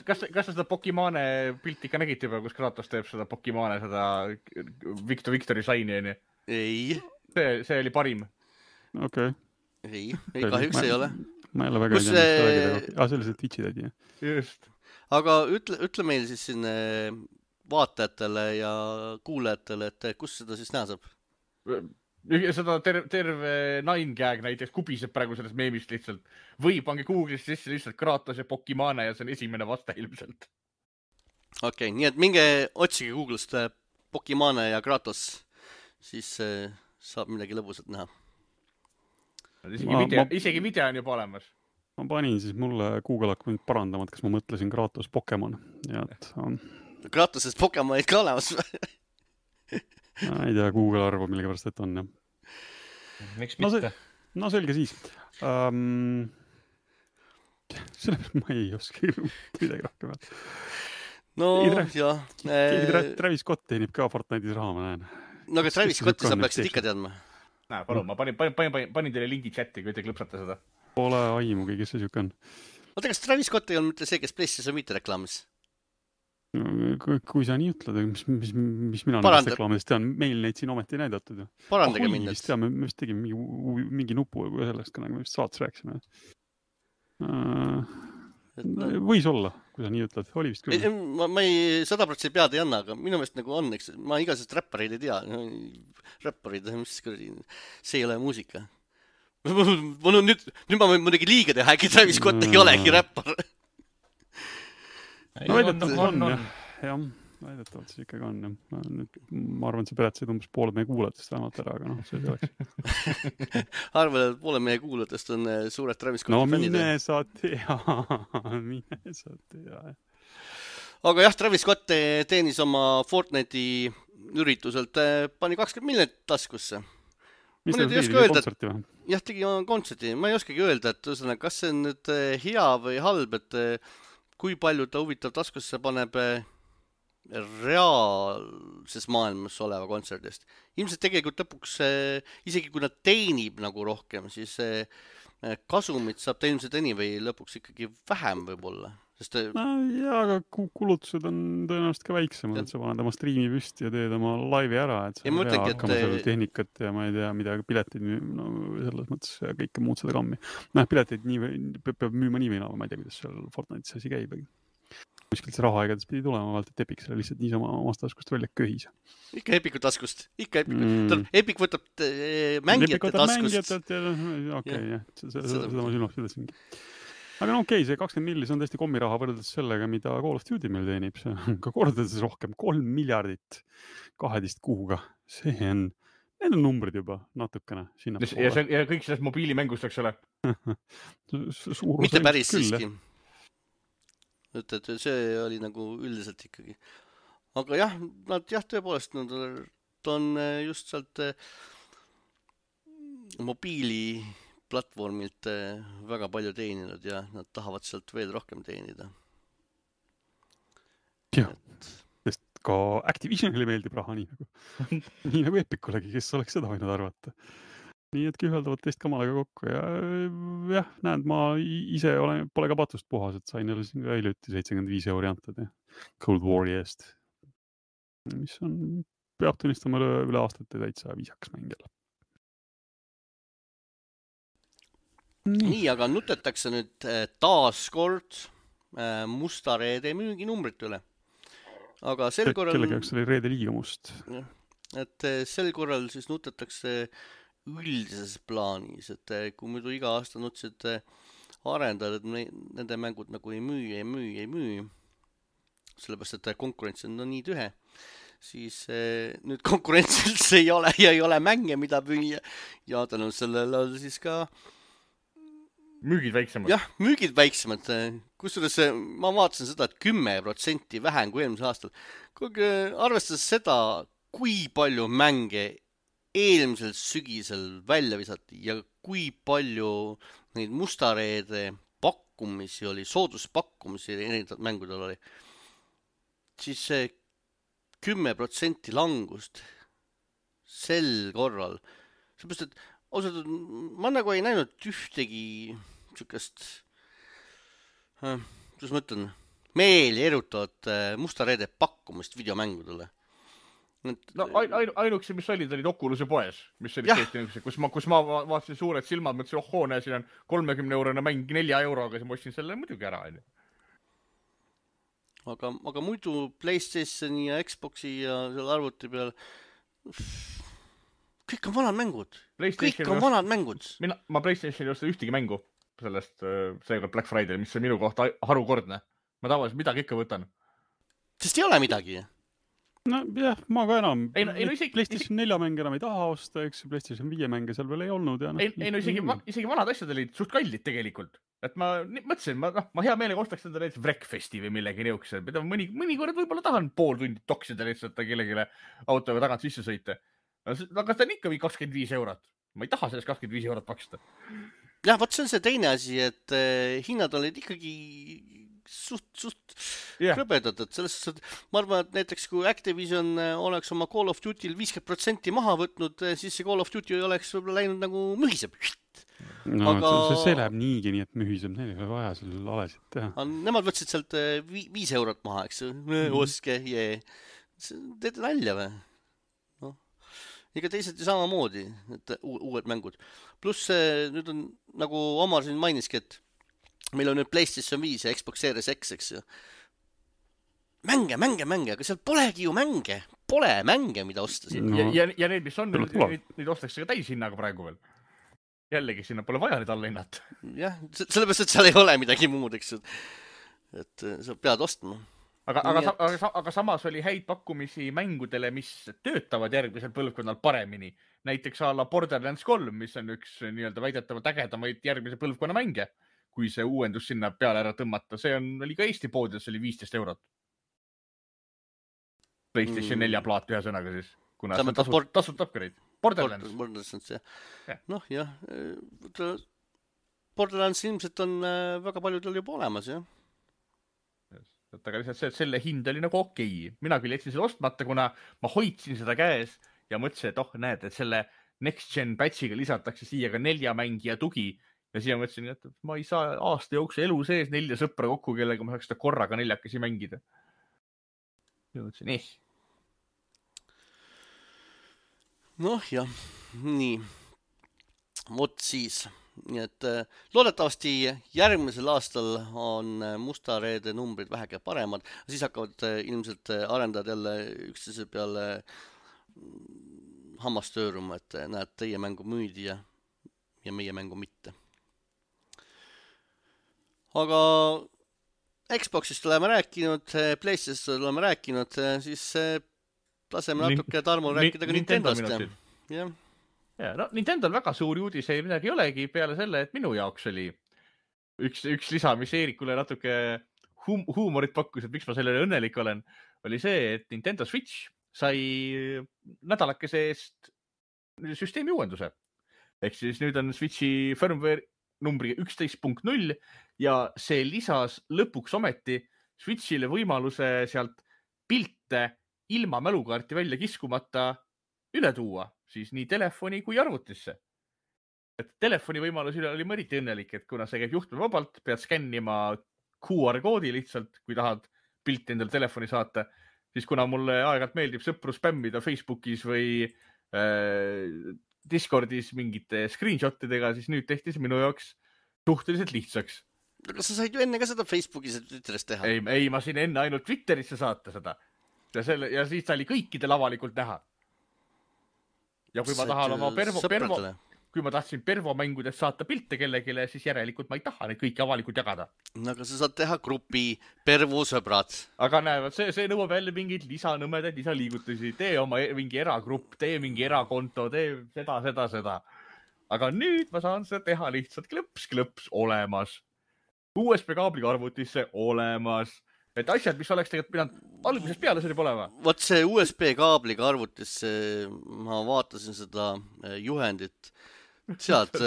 Kas sa seda Pokimane pilti ka nägid juba, kus Kratos teeb seda Pokimane, seda Victory Saini, on ju? Ei. See oli parim. Okei. Ei, kahjuks ei ole. Ma jälle väga ei tea, see oli see Twitchi tädi. Just. Aga ütle meil siis siin vaatajatele ja kuulajatele, et kus seda siis näha saab? Seda terve 9gag näiteks kubiseb praegu sellest meemist lihtsalt. Või pange Google'is sisse lihtsalt Kratos ja Pokimane ja see on esimene vaste ilmselt. Okei, nii et minge otsige Google'ist Pokimane ja Kratos, siis saab midagi lõbusat näha. Isegi video on juba olemas. Ma panin siis mulle Google hakkab mind parandama, et kas ma mõtlesin Kratos Pokemon. Kratosest Pokemonid ka olemas? Ei tea, Google arvab millega pärast, et on. Miks mitte? No selge siis. Sellepärast ma ei oska midagi rohkem. No jah. Travis Scott teenib ka Fortnite'is raha, ma näen. No aga Travis Scotti sa peaksid ikka teadma. Näe, palun, ma panin teile lingi chati, kui te klõpsate seda. Pole aimugi, kes see siuke on. Oota, kas Travis Scott ei olnud mitte see, kes PlayStation Vita reklaamis? Kui sa nii ütled, mis mina nendest reklaamidest tean, meil neid siin ometi näidatud. Parandage mind. Me vist tegime mingi nupu või sellest ka, nagu me vist saates rääkisime. Võis olla, kui sa nii ütled. Oli vist küll. Ma ei 100% pead ei anna, aga minu meelest nagu on, eks. Ma igasest räppareid ei tea. Räpparid, see ei ole muusika. Nüüd ma võin muidugi liiga teha, äkki Travis Scott ei olegi räppar. No väidetavalt on, jah. Väidetavalt siis ikkagi on. Ma arvan, et see peretasid umbes poole meie kuulajatest vähemalt ära, aga noh, see oleks. Arvan, et poole meie kuulajatest on suured Travis Scotti fännid. No mine sa tea. Aga jah, Travis Scott teenis oma Fortnite'i ürituselt, pani 20 miljonit taskusse. Mis teil tegi kontserti või? Jah, tegi kontserti. Ma ei oskagi öelda, et kas see on nüüd hea või halb, et kui palju ta huvitav taskusse paneb reaalses maailmas oleva kontserdist. Ilmselt tegelikult lõpuks, isegi kui nad teenib nagu rohkem, siis kasumit saab ta ilmselt anyway lõpuks ikkagi vähem võib-olla. Jaa, aga kulutused on tõenäoliselt ka väiksemad, et sa paned oma striimi püsti ja teed oma laivi ära, et sa ei pea hakkama selle tehnikat ja ma ei tea, mida piletid, no selles mõttes kõike muud seda kammi. Piletid peab müüma nii või naa, ma ei tea, kuidas seal Fortnite'is asi käib. Kuskilt see raha igatahes pidi tulema, vaalt, et Epic selle lihtsalt niisama omast taskust välja köhis. Ikka Epicu taskust. Epic võtab mängijate taskust. Okei, jah, seda ma silmas pidasingi. Aga no okei, see 20 millis on tõesti kommiraha võrreldes sellega, mida Call of Duty meil teenib. See on ka kordades rohkem, 3 miljardit 12 kuuga. Need on numbrid juba natukene. Ja kõik sellest mobiilimängust, eks ole? Mitte päris siiski. Et see oli nagu üldiselt ikkagi. Aga jah, nad tõepoolest, nad on just sealt mobiili platvormilt väga palju teeninud ja nad tahavad sealt veel rohkem teenida. Jah, sest ka Activisionile meeldib raha nii nagu Epic'ulegi, kes oleks seda võinud arvata. nii et kühveldavad teist kamalaga kokku ja jah, näed, ma ise pole ka patust puhas, et sain jälle siin ka hiljuti 75 € antud Cold War'i eest, mis on, peab tunnistama üle aastate täitsa viisakas mäng jälle. Nii, aga nutetakse nüüd taas kord Musta Reede müüginumbrite üle. Aga sel korral... Kellega jaoks oli Reede liiga must. Et sel korral siis nutetakse üldises plaanis, et kui muidu iga aasta nutsid arendajad, et nende mängud nagu ei müü, sellepärast, et konkurents on nii tühe, siis nüüd konkurents üldse ei ole ja ei ole mänge, mida müüa ja tänu sellele on siis ka müügid väiksemad. Jah, müügid väiksemad. Kusjuures ma vaatasin seda, et 10% vähem kui eelmisel aastal. Kuigi arvestades seda, kui palju mänge eelmisel sügisel välja visati ja kui palju neid Musta Reede pakkumisi oli, sooduspakkumisi erinevad mängudel oli, siis see 10% langust sel korral. Seepärast, et ausalt, ma nagu ei näinud ühtegi sükest, kuidas ma ütlen, meeli erutavat Musta Reede pakkumist videomängudele. No ainukese, mis olid Oculus'e poes, mis olid tõesti, kus ma vaatasin suured silmad, mõtlesin, näe, siin on 30 € mäng 4 €, siis ma ostsin selle muidugi ära. Aga muidu PlayStationi ja Xboxi ja selle arvuti peal kõik on vanad mängud. Kõik on vanad mängud. Ma PlayStationi ei osta ühtegi mängu sellest seekord Black Friday, mis on minu kohta harukordne. Ma tavaliselt midagi ikka võtan. Sest ei ole midagi. No jah, ma ka enam. PlayStation 4 mänge enam ei taha osta, eks PlayStation 5 mänge seal veel ei olnud. Ja isegi vanad asjad olid suht kallid tegelikult. Et ma mõtlesin, ma hea meelega ostaks seda näiteks Wreckfesti või millegi niukse. Mõnikord võib-olla tahan pool tundi toksida lihtsalt kellelegi autoga tagant sisse sõita. Aga ta on ikka 25 €. Ma ei taha sellest 25 € maksta. Jah, võt see on see teine asi, et hinnad olid ikkagi suht krõbedad, et sellest, et ma arvan, et näiteks kui Activision oleks oma Call of Duty'l 50% maha võtnud, siis see Call of Duty oleks võib-olla läinud nagu mühiseb. No, aga see läheb niigi nii, et mühiseb, neil ei ole vaja seal alesid teha. Nemad võtsid sealt 5 € maha, eks oske, teete nalja või? Ega teised ju samamoodi, et uued mängud. Pluss nüüd on, nagu Omar siin mainiski, et meil on nüüd PlayStation 5 ja Xbox Series X, eks ju. Mänge, aga seal polegi ju mänge. Pole mänge, mida osta siin. Ja need, mis on, neid ostakse ka täishinnaga praegu veel. Jällegi, sinna pole vaja neid alla hinnata. Jah, sellepärast, et seal ei ole midagi muud, eks ju. Et sa pead ostma. Aga samas oli häid pakkumisi mängudele, mis töötavad järgmisel põlvkonnal paremini. Näiteks ala Borderlands 3, mis on üks nii-öelda väidetavalt ägedamaid järgmise põlvkonna mänge, kui see uuendus sinna peale ära tõmmata. See oli ka Eesti poodides, oli 15 €. PlayStation 4 plaat ühe sõnaga siis, kuna see on tasult upgrade. Borderlands, jah. Noh, jah. Borderlands ilmselt on väga paljudel juba olemas, jah. Aga lihtsalt selle hind oli nagu okei. Mina küll jätsin selle ostmata, kuna ma hoidsin seda käes ja mõtlesin, et näed, et selle Next Gen patchiga lisatakse siia ka 4 mängija tugi. Ja siia mõtlesin, et ma ei saa aasta jooksul elu sees 4 sõpra kokku, kellega ma saaks seda korraga 4 mängida. Ja mõtlesin, Noh jah, nii. Vot siis. Nii et loodetavasti järgmisel aastal on Musta Reede numbrid vähegi paremad. Siis hakkavad ilmselt arendajad jälle üksteise peale hammast tööruma, et näed, teie mängu müüdi ja meie mängu mitte. Aga Xboxist oleme rääkinud, PlayStationist oleme rääkinud, siis laseme natuke Tarmol rääkida ka Nintendost. Jah. Ja, no Nintendol väga suuri uudiseid midagi ei olegi peale selle, et minu jaoks oli üks lisa, mis Eerikule natuke huumorit pakkus, et miks ma sellele õnnelik olen, oli see, et Nintendo Switch sai nädalakese eest süsteemi uuenduse. Ehk siis nüüd on Switchi firmware numbri 11.0 ja see lisas lõpuks ometi Switchile võimaluse sealt pilte ilma mälukaarti välja kiskumata üle tuua, siis nii telefoni kui arvutisse. et telefoni võimalus üle oli mõriti õnnelik, et kuna see käib juhtmevabalt, pead skännima QR-koodi lihtsalt, kui tahad pilti endale telefoni saata, siis kuna mulle aeg-ajalt meeldib sõpru spämmida Facebookis või Discordis mingite screenshotidega, siis nüüd tehti see minu jaoks suhteliselt lihtsaks. Aga sa said ju enne ka seda Facebookis ja Twitteris teha. Ei, ma sain enne ainult Twitterisse saata seda. Ja siis ta oli kõikidel avalikult näha. Ja kui ma tahan oma kui ma tahtsin Pervo mängudest saata pilte kellegile, siis järelikult ma ei taha neid kõiki avalikult jagada. No aga sa saad teha grupi Pervo sõbrad. Aga näevad, see nõuab jälle mingeid lisanõmedaid, lisaliigutusi. Tee oma mingi eragrupp, tee mingi erakonto, tee seda. Aga nüüd ma saan seda teha lihtsalt klõps olemas. USB-kaabliga arvutisse olemas. Et asjad, mis oleks tegelikult pidanud algusest peale see olema. Vot see USB-kaabliga arvutisse, ma vaatasin seda juhendit. Sealt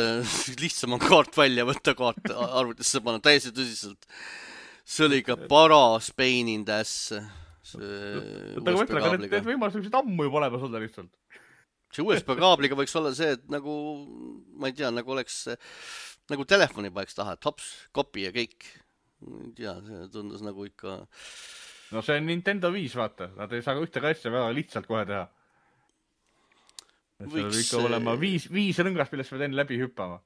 lihtsam on kaart välja võtta, kaart arvutisse panna täiesti tõsiselt. See oli ikka paras pain in the ass. Need võimalused ammu juba olemas olla lihtsalt. See USB-kaabliga võiks olla see, et nagu, ma ei tea, nagu oleks nagu telefoni paeks taha, et hops, kopi ja kõik. Ja see tundus nagu ikka... No see on Nintendo 5, vaata. Nad ei saa ühte asja väga lihtsalt kohe teha. See võiks ikka olema 5 rõngast, millest pead enne läbi hüppama.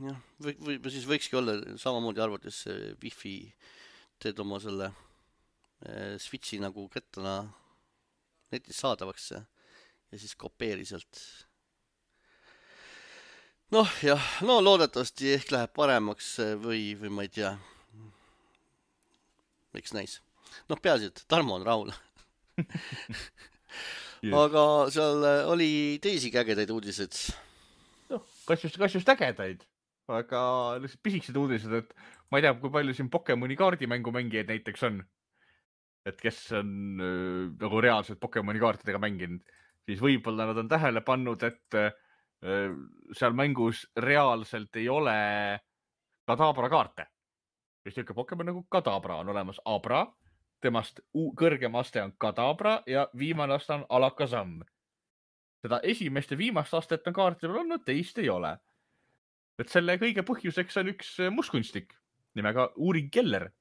Jah, või siis võikski olla samamoodi arvates Wi-Fi teed oma selle Switchi nagu kettana netis saadavaks ja siis kopeeri sealt. No loodetavasti ehk läheb paremaks või ma ei tea. Eks näis. Peaasi, et Tarmo on rahul. Aga seal oli teisi ägedaid uudiseid. Kas just ägedaid, aga lihtsalt pisikesed uudised, et ma ei tea, kui palju siin Pokemoni kaardimängu mängijaid näiteks on. Et kes on nagu reaalselt Pokemoni kaartidega mänginud, siis võib-olla nad on tähele pannud, et seal mängus reaalselt ei ole Kadabra kaarte. Just niisugune Pokemon nagu Kadabra on olemas Abra. Temast kõrgem aste on Kadabra ja viimane aste on Alakazam. Seda esimest ja viimast astet on kaartide peal olnud, teist ei ole. Et selle kõige põhjuseks on üks mustkunstik nimega Uri Geller,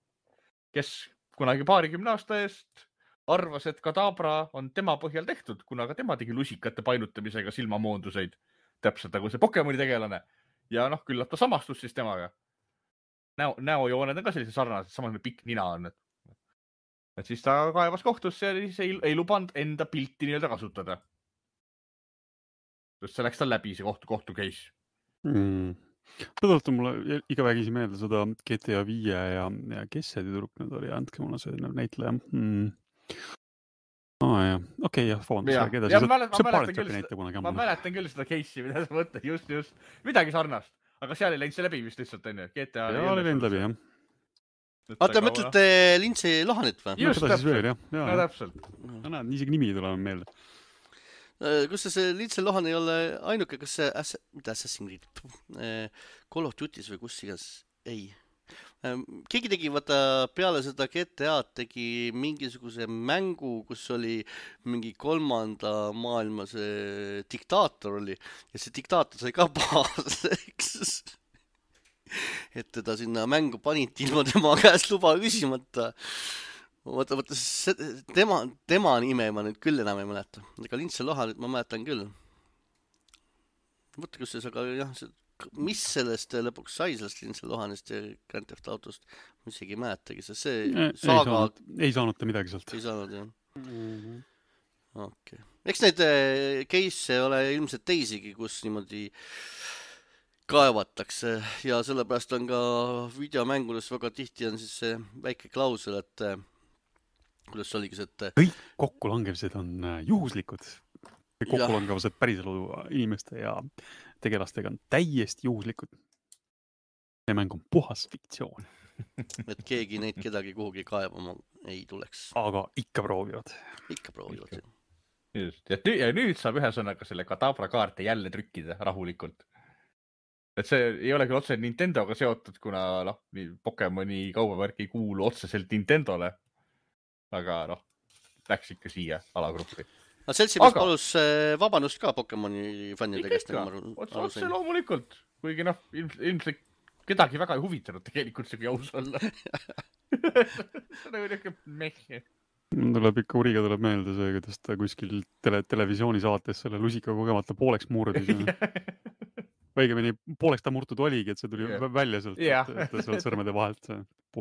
kes kunagi 20 aasta eest arvas, et Kadabra on tema põhjal tehtud, kuna ka tema tegi lusikate painutamisega silmamoonduseid. Täpselt nagu see Pokemoni tegelane. Ja küllap ta samastus siis temaga. Näojooned on ka sellised sarnased, samas pikk nina on. Et siis ta kaevas kohtusse ja siis ei lubanud enda pilti nii-öelda kasutada. Just see läks tal läbi, see kohtu case. Tõdult on mulle iga vägisi meelde seda GTA 5 ja kes see tüdruk nüüd oli, andke mulle see näitleja. Okei, ma mäletan küll seda case'i, mida sa mõtled, just. Midagi sarnast, aga seal ei läinud see läbi vist lihtsalt, on ju. GTA oli läinud läbi, jah. Te mõtlete Lindsay Lohanit või? Just täpselt. Ja täpselt. Näed, isegi nimi tuleb meelde. Kus see Lindsay Lohan ei ole ainuke, kas see Assassin's Creed Call of Duty's või kus igas? Ei. Keegi tegi, vaata, peale seda GTA-d tegi mingisuguse mängu, kus oli mingi 3. maailma see diktaator oli ja see diktaator sai ka baaseks. Et teda sinna mängu panid ilma tema käest luba küsimata. Vaata, tema nime ma nüüd küll enam ei mäleta. Ega Lindsay Lohan nüüd ma mäletan küll. Vaata, kus see aga jah, mis sellest lõpuks sai sellest Lindsay Lohanist ja Grand Theft Autost, ma isegi ei mäletagi, see saaga... Ei saanud ta midagi sealt. Ei saanud, jah. Okei. Eks neid case ole ilmselt teisigi, kus niimoodi kaevatakse ja sellepärast on ka videomängudes väga tihti on siis see väike klausel, et kuidas see oligi see, et kõik kokkulangevused on juhuslikud. Kokkulangevused päriselu inimeste ja tegelastega on täiesti juhuslikud. See mäng on puhas fiktsioon. Et keegi neid kedagi kuhugi kaevama ei tuleks. Aga ikka proovivad. Ikka proovivad. Just. Ja nüüd saab ühesõnaga selle Kadabra kaarte jälle trükkida rahulikult. Et see ei ole küll otseselt Nintendoga seotud, kuna Pokemoni kaubavärk ei kuulu otseselt Nintendole. Aga läks ikka siia alagruppi. aga seltsimees palus vabandust ka Pokemoni fännide käest. Otse loomulikult, kuigi ilmselt kedagi väga ei huvitanud tegelikult see, kui aus olla. See on niisugune mehhe. Tuleb ikka Uriga tuleb meelde see, kuidas ta kuskil televisioonisaates selle lusika kogemata pooleks murdis. Õigemini pooleks ta murtud oligi, et see tuli välja sealt, et sealt sõrmede vahelt see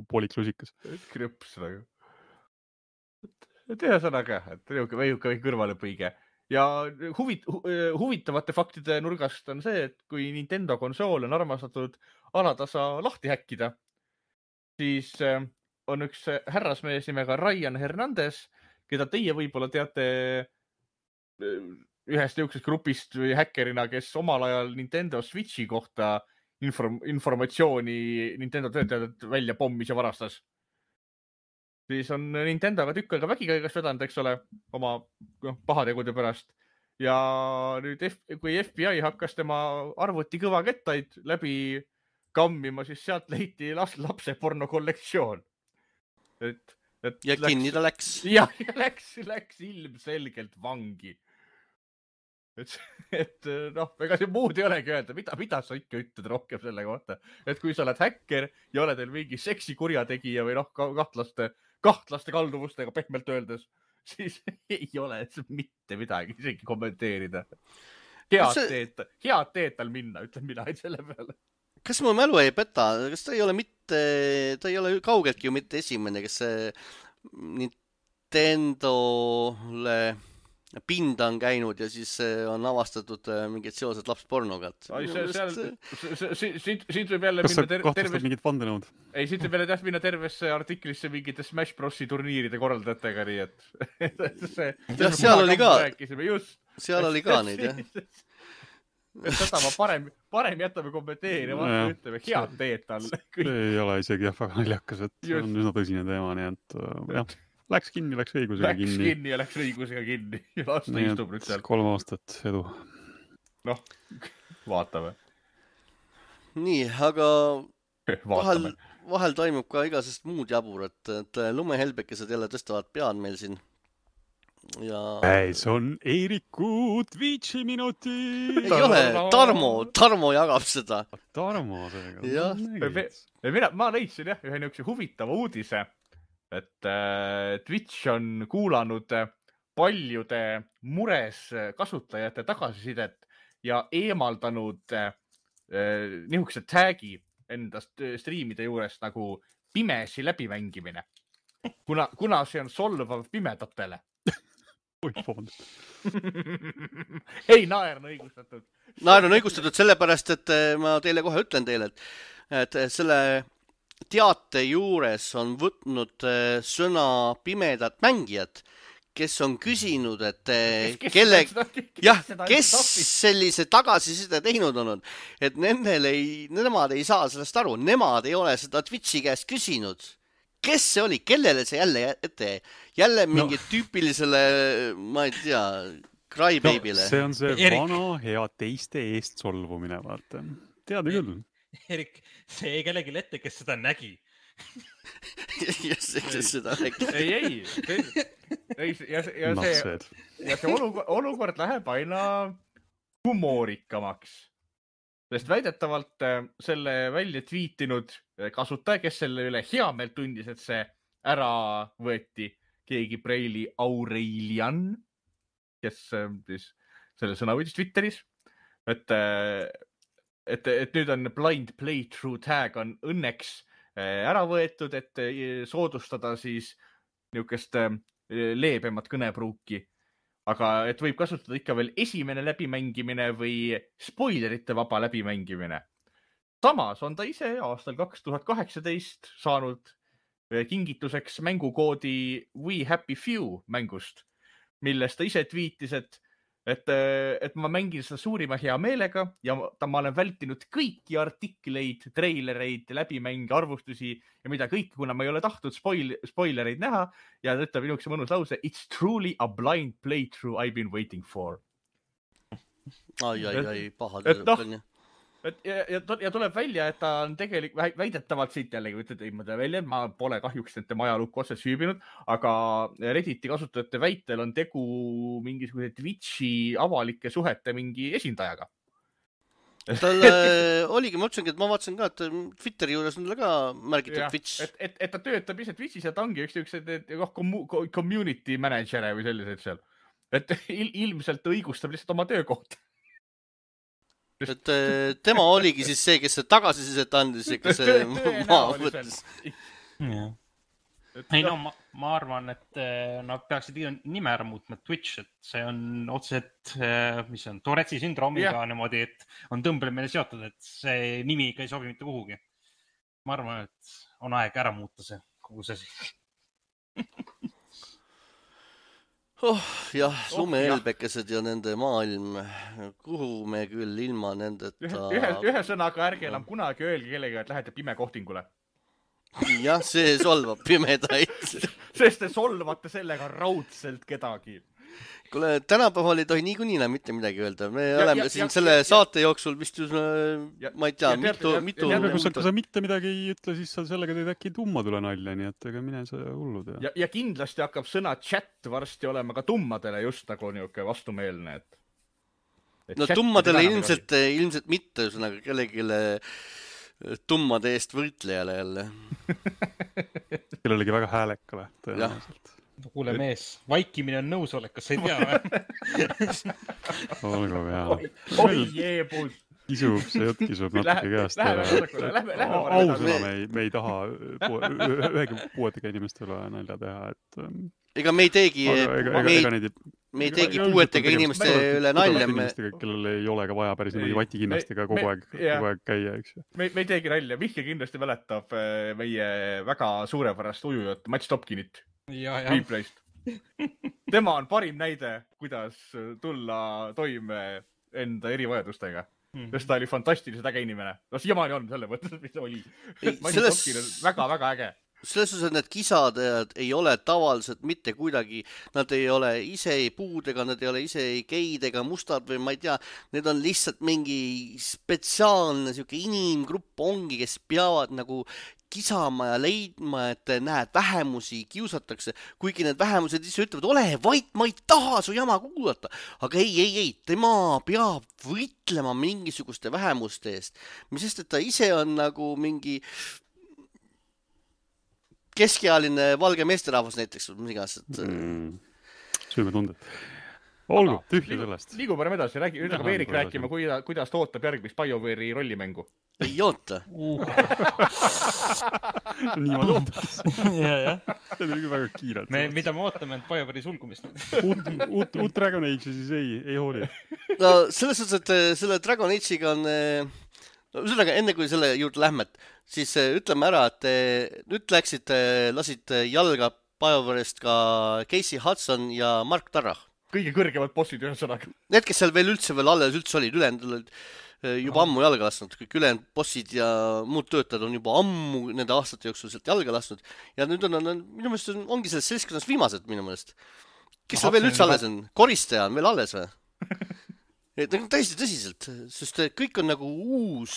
pooliks lusikas. Krüps nagu. Ühesõnaga, et väike kõrvalepõige. Ja huvitavate faktide nurgast on see, et kui Nintendo konsool on armastatud alatasa lahti häkkida, siis on üks härrasmees nimega Ryan Hernandez, keda teie võib-olla teate ühest jõuksest grupist või häkkerina, kes omal ajal Nintendo Switchi kohta informatsiooni Nintendo töötajad välja pommis ja varastas. Siis on Nintendoga tükk aega vägikaigast vedanud, eks ole, oma pahategude pärast. Ja nüüd, kui FBI hakkas tema arvuti kõvakettaid läbi kammima, siis sealt leiti lapse porno kollektsioon. Ja kinni ta läks. Ja läks ilmselgelt vangi. Et ega see muud ei olegi öelda, mida sa ikka ütled rohkem selle kohta. Et kui sa oled häkker ja oled teil mingi seksikurjategija või kahtlaste kalduvustega pehmelt öeldes, siis ei ole mitte midagi isegi kommenteerida. Head teed tal minna, ütlen mina selle peale. Kas mu mälu ei peta? Kas ta ei ole kaugeltki ju mitte esimene, kes Nintendole pinda on käinud ja siis on avastatud mingid seosed lapspornoga. Siit võib jälle minna siit võib jälle minna tervesse artiklisse mingite Smash Brosi turniiride korraldajatega, nii et seal oli ka neid, jah. Seda ma parem jätame kommenteerima, ütleme head teed talle. Ei ole isegi väga naljakas, et see on üsna tõsine teema, nii et jah, läks kinni, läks õigusega kinni. Läks kinni ja läks õigusega kinni. Ja aasta istub nüüd seal. 3 aastat edu. Vaatame. Nii, aga vahel toimub ka igasest muud jabur, et lumehelbekesed jälle tõstavad pead meil siin. See on Eeriku Twitchi minuti. Ei ole, Tarmo jagab seda. Tarmo seega. Ma leidsin ühe niisuguse huvitava uudise, et Twitch on kuulanud paljude mures kasutajate tagasisidet ja eemaldanud niisuguse tagi endast striimide juures nagu pimesi läbimängimine. Kuna see on solvav pimedatele. Ei, naer on õigustatud. Naer on õigustatud sellepärast, et ma teile kohe ütlen teile, et selle teate juures on võtnud sõna pimedad mängijad, kes on küsinud, et kes sellise tagasiside teinud on, et nemad ei saa sellest aru, nemad ei ole seda Twitchi käest küsinud. Kes see oli? Kellele see jälle ette? Jälle mingi tüüpilisele, ma ei tea, crybaby'le. See on see vana hea teiste eest solvumine, vaata. Tead küll. Erik, see ei kellegi ette, kes seda nägi. Kes seda nägi. Ei. Ja see olukord läheb aina humoorikamaks. Sest väidetavalt selle välja tweetinud kasutaja, kes selle üle hea meelt tundis, et see ära võeti, keegi Preili Aurelian, kes siis selle sõna võitis Twitteris, et nüüd on blind playthrough tag on õnneks ära võetud, et soodustada siis niisugust leebemat kõnepruuki. Aga et võib kasutada ikka veel esimene läbimängimine või spoilerite vaba läbimängimine. Samas on ta ise aastal 2018 saanud kingituseks mängukoodi We Happy Few mängust, millest ta ise tweetis, et ma mängin seda suurima hea meelega ja ma olen vältinud kõiki artikleid, treilereid, läbimänge, arvustusi ja mida kõike, kuna ma ei ole tahtnud spoilereid näha ja ta ütleb minukese mõnus lause, it's truly a blind playthrough I've been waiting for. Ai, paha. ja tuleb välja, et ta on tegelikult väidetavalt siit jällegi, ütled, ei ma tean välja, et ma pole kahjuks nende majalukku otse süübinud, aga Redditi kasutajate väitel on tegu mingisuguse Twitchi avalike suhete mingi esindajaga. Tal oligi, ma ütlesingi, et ma vaatasin ka, et Twitteri juures on ka märgitud Twitch. Et ta töötab ise Twitchis ja ta ongi üks community manager või sellised seal. Et ilmselt õigustab lihtsalt oma töökohta. Et tema oligi siis see, kes see tagasisidet andis, kes see maa võttis. Ei no, ma arvan, et nad peaksid nime ära muutma Twitch, et see on otseselt, mis on, Tourette'i sündroomiga niimoodi, et on tõmblemine seotud, et see nimi ikka ei sobi mitte kuhugi. Ma arvan, et on aeg ära muuta see, kogu see jah, sumehelbekesed ja nende maailm, kuhu me küll ilma nendeta... Ühe sõnaga ärge enam kunagi öelge kellega, et lähete pime kohtingule. Jah, see solvab pimedaid. Sest te solvate sellega raudselt kedagi. Kuule, tänapäeval ei tohi niikuinii mitte midagi öelda. Me oleme siin selle saate jooksul vist ma ei tea, mitu... Kui sa mitte midagi ei ütle, siis sa sellega teed äkki tumma tule nalja, nii et ega mine sa hullud. Ja kindlasti hakkab sõna chat varsti olema ka tummadele just nagu niuke vastumeelne. No tummadele ilmselt mitte, üsõnaga kellegile tummade eest võitlejale jälle. Kellelegi väga häälekale tõenäoliselt. Kuule mees, vaikimine on nõusolek, kas sa ei tea? Olgu hea. Oi jeebus. See jutt kisub natuke käest. Ausõna me ei taha ühegi puuetega inimestele nalja teha. Ega me ei teegi puuetega inimeste üle nalja. Kellel ei ole ka vaja päris niimoodi vatikinnastega kogu aeg käia, eks ju. Me ei teegi nalja. Mihkel kindlasti mäletab meie väga suurepärast ujujat Mats Topkinit. Replayst. Tema on parim näide, kuidas tulla toime enda erivajadustega. Sest ta oli fantastiliselt äge inimene. No siiamaani on selle mõttes, mis oli. Mats Topkin on väga-väga äge. Selles suhtes, et need kisadajad ei ole tavaliselt mitte kuidagi, nad ei ole ise ei puudega, nad ei ole ise ei geid ega mustad või ma ei tea, need on lihtsalt mingi spetsiaalne siuke inimgrupp ongi, kes peavad nagu kisama ja leidma, et näed, vähemusi kiusatakse, kuigi need vähemused ise ütlevad, ole vait, ma ei taha su jama kuulata, aga ei, tema peab võitlema mingisuguste vähemuste eest, mis sest, et ta ise on nagu mingi keskealine valge meesterahvas näiteks, mis iganes. Süümetunded. Olgu, tühja sellest. Liigu parem edasi, ütleb Eerik rääkima, kuidas ta ootab järgmist BioWare'i rollimängu. Ei oota. Niimoodi ootas. See on väga kiirelt. Mida me ootame, et BioWare'i sulgumist? Uut Dragon Age'i siis ei hooli. No selles suhtes, et selle Dragon Age'iga on... Ühesõnaga, enne kui selle juurde lähme, siis ütleme ära, et nüüd lasid jalga BioWare'ist ka Casey Hudson ja Mark Tarrah. Kõige kõrgemad bossid ühesõnaga. Need, kes seal veel alles olid, ülejäänud olid juba ammu jalga lasnud. Kõik ülejäänud bossid ja muud töötajad on juba ammu nende aastate jooksul sealt jalga lasnud. Ja nüüd on minu meelest ongi selles seltskonnas viimased minu meelest. Kes seal veel üldse alles on? Koristaja on veel alles või? Täiesti tõsiselt, sest kõik on nagu uus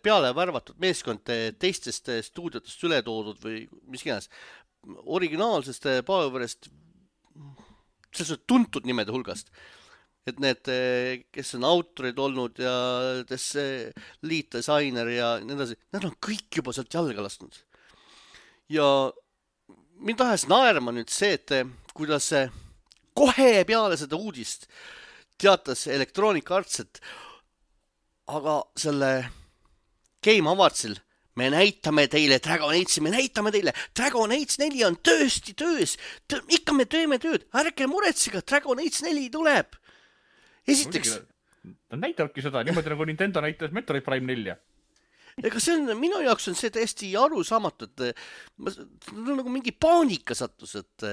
peale värvatud meeskond teistest stuudiotest üle toodud või mis iganes. Originaalsest BioWare'ist selles tuntud nimede hulgast. Et need, kes on autorid olnud ja lead designer ja nii edasi, nad on kõik juba sealt jalga lasnud. Ja mind tahes naerma nüüd see, et kuidas kohe peale seda uudist teatas Electronic Arts, et aga selle Game Awardsil me näitame teile Dragon Age'i, me näitame teile Dragon Age 4 on tõesti töös, ikka me teeme tööd, ärge muretsega, Dragon Age 4 tuleb. Esiteks. Ta näitabki seda, niimoodi nagu Nintendo näitas Metroid Prime 4. Ega see on, minu jaoks on see täiesti arusaamatu, et nagu mingi paanika sattus, et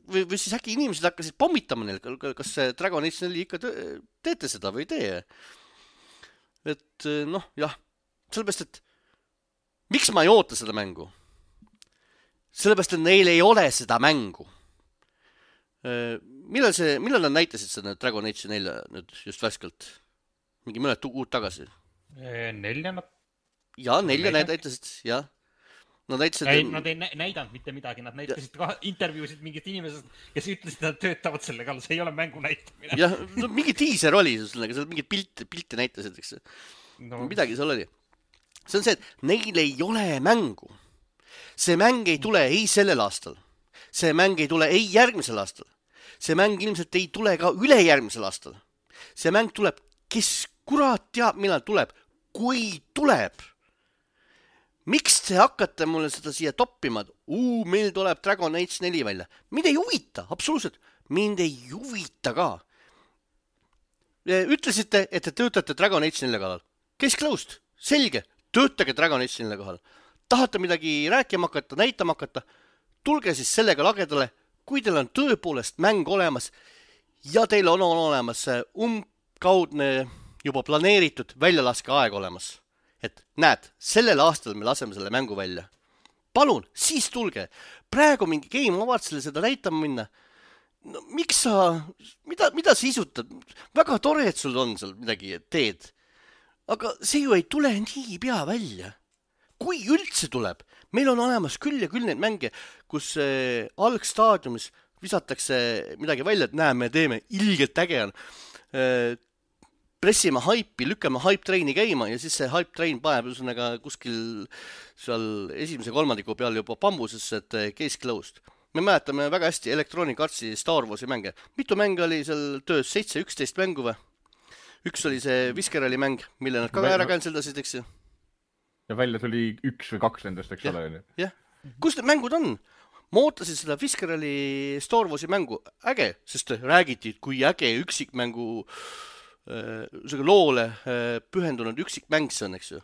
või siis äkki inimesed hakkasid pommitama neil, kas Dragon Age 4 ikka teete seda või ei tee. Et noh, jah, sellepärast, et miks ma ei oota seda mängu? Sellepärast, et neil ei ole seda mängu. Millal nad näitasid seda Dragon Age 4 nüüd just värskelt? Mingi mõned kuud tagasi? 4 nad. Ja, 4 näitasid, jah. Nad näitasid... Nad ei näidanud mitte midagi, nad näitasid ka intervjuusid mingit inimesest, kes ütlesid, et nad töötavad selle kallal, see ei ole mängu näitamine. Jah, no, mingi teaser oli, seal mingid pilte näitasid, eks. No. Midagi seal oli. See on see, et neil ei ole mängu. See mäng ei tule ei sellel aastal. See mäng ei tule ei järgmisel aastal. See mäng ilmselt ei tule ka ülejärgmisel aastal. See mäng tuleb, kes kurat teab, millal tuleb, kui tuleb. Miks te hakkate mulle seda siia toppima? Meil tuleb Dragon Age 4 välja. Mind ei huvita, absoluutselt. Mind ei huvita ka. Ütlesite, et te töötate Dragon Age 4 kallal. Case closed. Selge. Töötage Dragon Age 4 kallal. Tahate midagi rääkima hakata, näitama hakata? Tulge siis sellega lagedale, kui teil on tõepoolest mäng olemas ja teil on olemas umbkaudne juba planeeritud väljalaske aeg olemas. Et näed, sellel aastal me laseme selle mängu välja. Palun, siis tulge. Praegu mingi Game Awardsile seda näitama minna. No, miks sa, mida sa isutad? Väga tore, et sul on seal midagi teed. Aga see ju ei tule nii pea välja. Kui üldse tuleb, meil on olemas küll ja küll neid mänge, kus algstaadiumis visatakse midagi välja, et näe, me teeme ilgelt äge on. Pressime haipi, lükkame hype-traini käima ja siis see hype-train paneb kuskil seal esimese kolmandiku peal juba bambusesse, et case closed. Me mäletame väga hästi Electronic Artsi Star Warsi mänge. Mitu mänge oli seal töös? 7-11 mängu või? Üks oli see Viscerali mäng, mille nad ka ära canceldasid, eks ju? Ja välja tuli 1 või 2 nendest, eks ole? Jah. Kus need mängud on? Ma ootasin seda Viscerali Star Warsi mängu. Äge, sest räägiti, kui äge üksikmängu loole pühendunud üksikmäng see on, eks ju.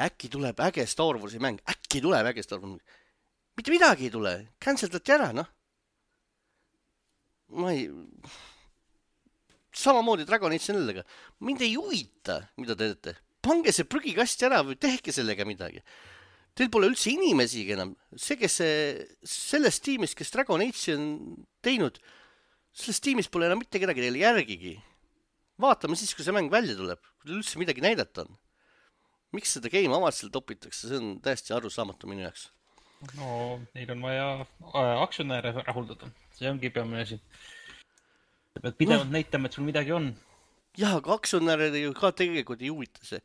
Äkki tuleb äge Star Warsi mäng. Äkki tuleb äge Star Warsi mäng. Mitte midagi ei tule. Canceldati ära, noh. Samamoodi Dragon Age 4-ga. Mind ei huvita, mida te teete. Pange see prügikasti ära või tehke sellega midagi. Teil pole üldse inimesigi enam. See, kes sellest tiimist, kes Dragon Age on teinud, sellest tiimist pole enam mitte kedagi teile järgigi. Vaatame siis, kui see mäng välja tuleb. Kui teil üldse midagi näidata on. Miks seda Game Awardsile topitakse? See on täiesti arusaamatu minu jaoks. No, neil on vaja aktsionäre rahuldada. See ongi peamine asi. Sa pead pidevalt näitama, et sul midagi on. Jah, aga aktsionäre ka tegelikult ei huvita see.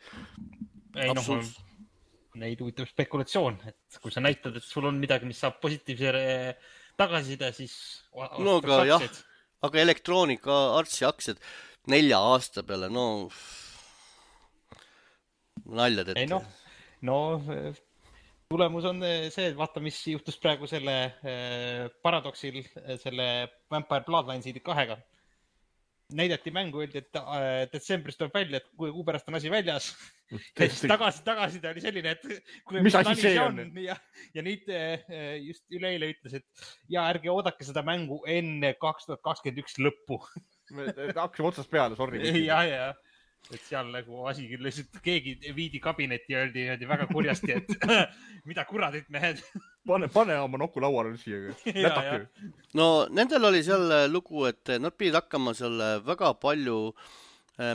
Neid huvitab spekulatsioon. Et kui sa näitad, et sul on midagi, mis saab positiivse tagasiside, siis... No aga jah, aga Electronic Artsi aktsiad 4 aasta peale, no naljad ette. No, tulemus on see, et vaata, mis juhtus praegu selle Paradoxil, selle Vampire Bloodlinesi 2-ga. Näidati mängu, öeldi, et detsembris tuleb välja, et kui kuu pärast on asi väljas. Ja siis tagasi ta oli selline, et mis asi see on? Ja nüüd just üleeile ütles, et ärge oodake seda mängu enne 2021 lõppu. Me hakkame otsast peale, sorry. Ja. Et seal nagu asi küll lihtsalt keegi viidi kabinetti ja öeldi väga kurjasti, et mida kuradit mehed. Pane oma nokku lauale siia. No nendel oli seal lugu, et nad pidid hakkama seal väga palju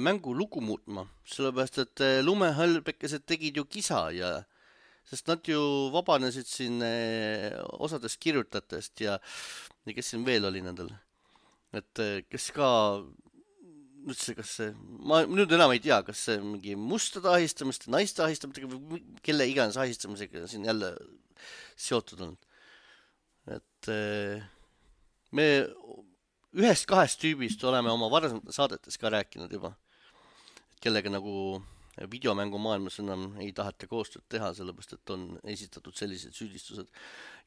mängu lugu muutma. Sellepärast, et lumehallpekesed tegid ju kisa ja sest nad ju vabanesid siin osadest kirjutajatest ja kes siin veel oli nendel. Et kes ka üldse, kas see, ma nüüd enam ei tea, kas see mingi mustade ahistamist, naiste ahistamist või kelle iganes ahistamisega siin jälle seotud on. Et me 1-2 tüübist oleme oma varasemates saadetes ka rääkinud juba, kellega nagu videomängu maailmas enam ei taheta koostööd teha, sellepärast, et on esitatud sellised süüdistused.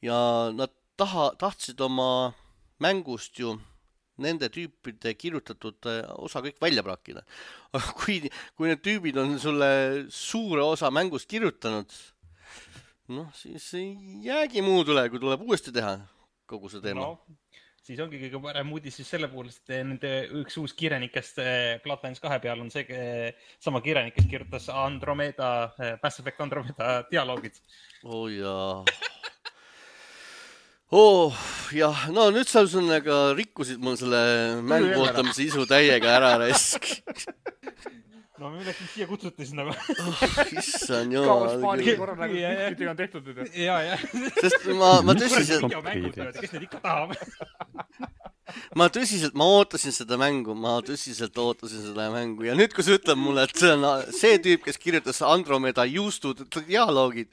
Ja nad tahtsid oma mängust ju nende tüüpide kirjutatud osa kõik välja prakkida. Aga kui need tüübid on sulle suure osa mängust kirjutanud, siis ei jäägi muud üle, kui tuleb uuesti teha kogu see teema. No, siis ongi kõige parem uudis siis selle puhul, et nende üks uus kirjanikest Bloodlines 2 peal on see sama kirjanik, kes kirjutas Mass Effect Andromeda dialoogid. Jaa. Jah, no nüüd sa rikkusid mul selle mängu ootamise isu täiega ära raisk. no me läksin siia kutsuti siis nagu. Issand Kaos jumal. paaniga korra nagu pihtidega on tehtud nüüd. Ja. Sest ma tõsiselt, Kes need ikka tahab? ma ootasin seda mängu ja nüüd, kui sa ütled mulle, et see on see tüüp, kes kirjutas Andromeda juustud dialoogid,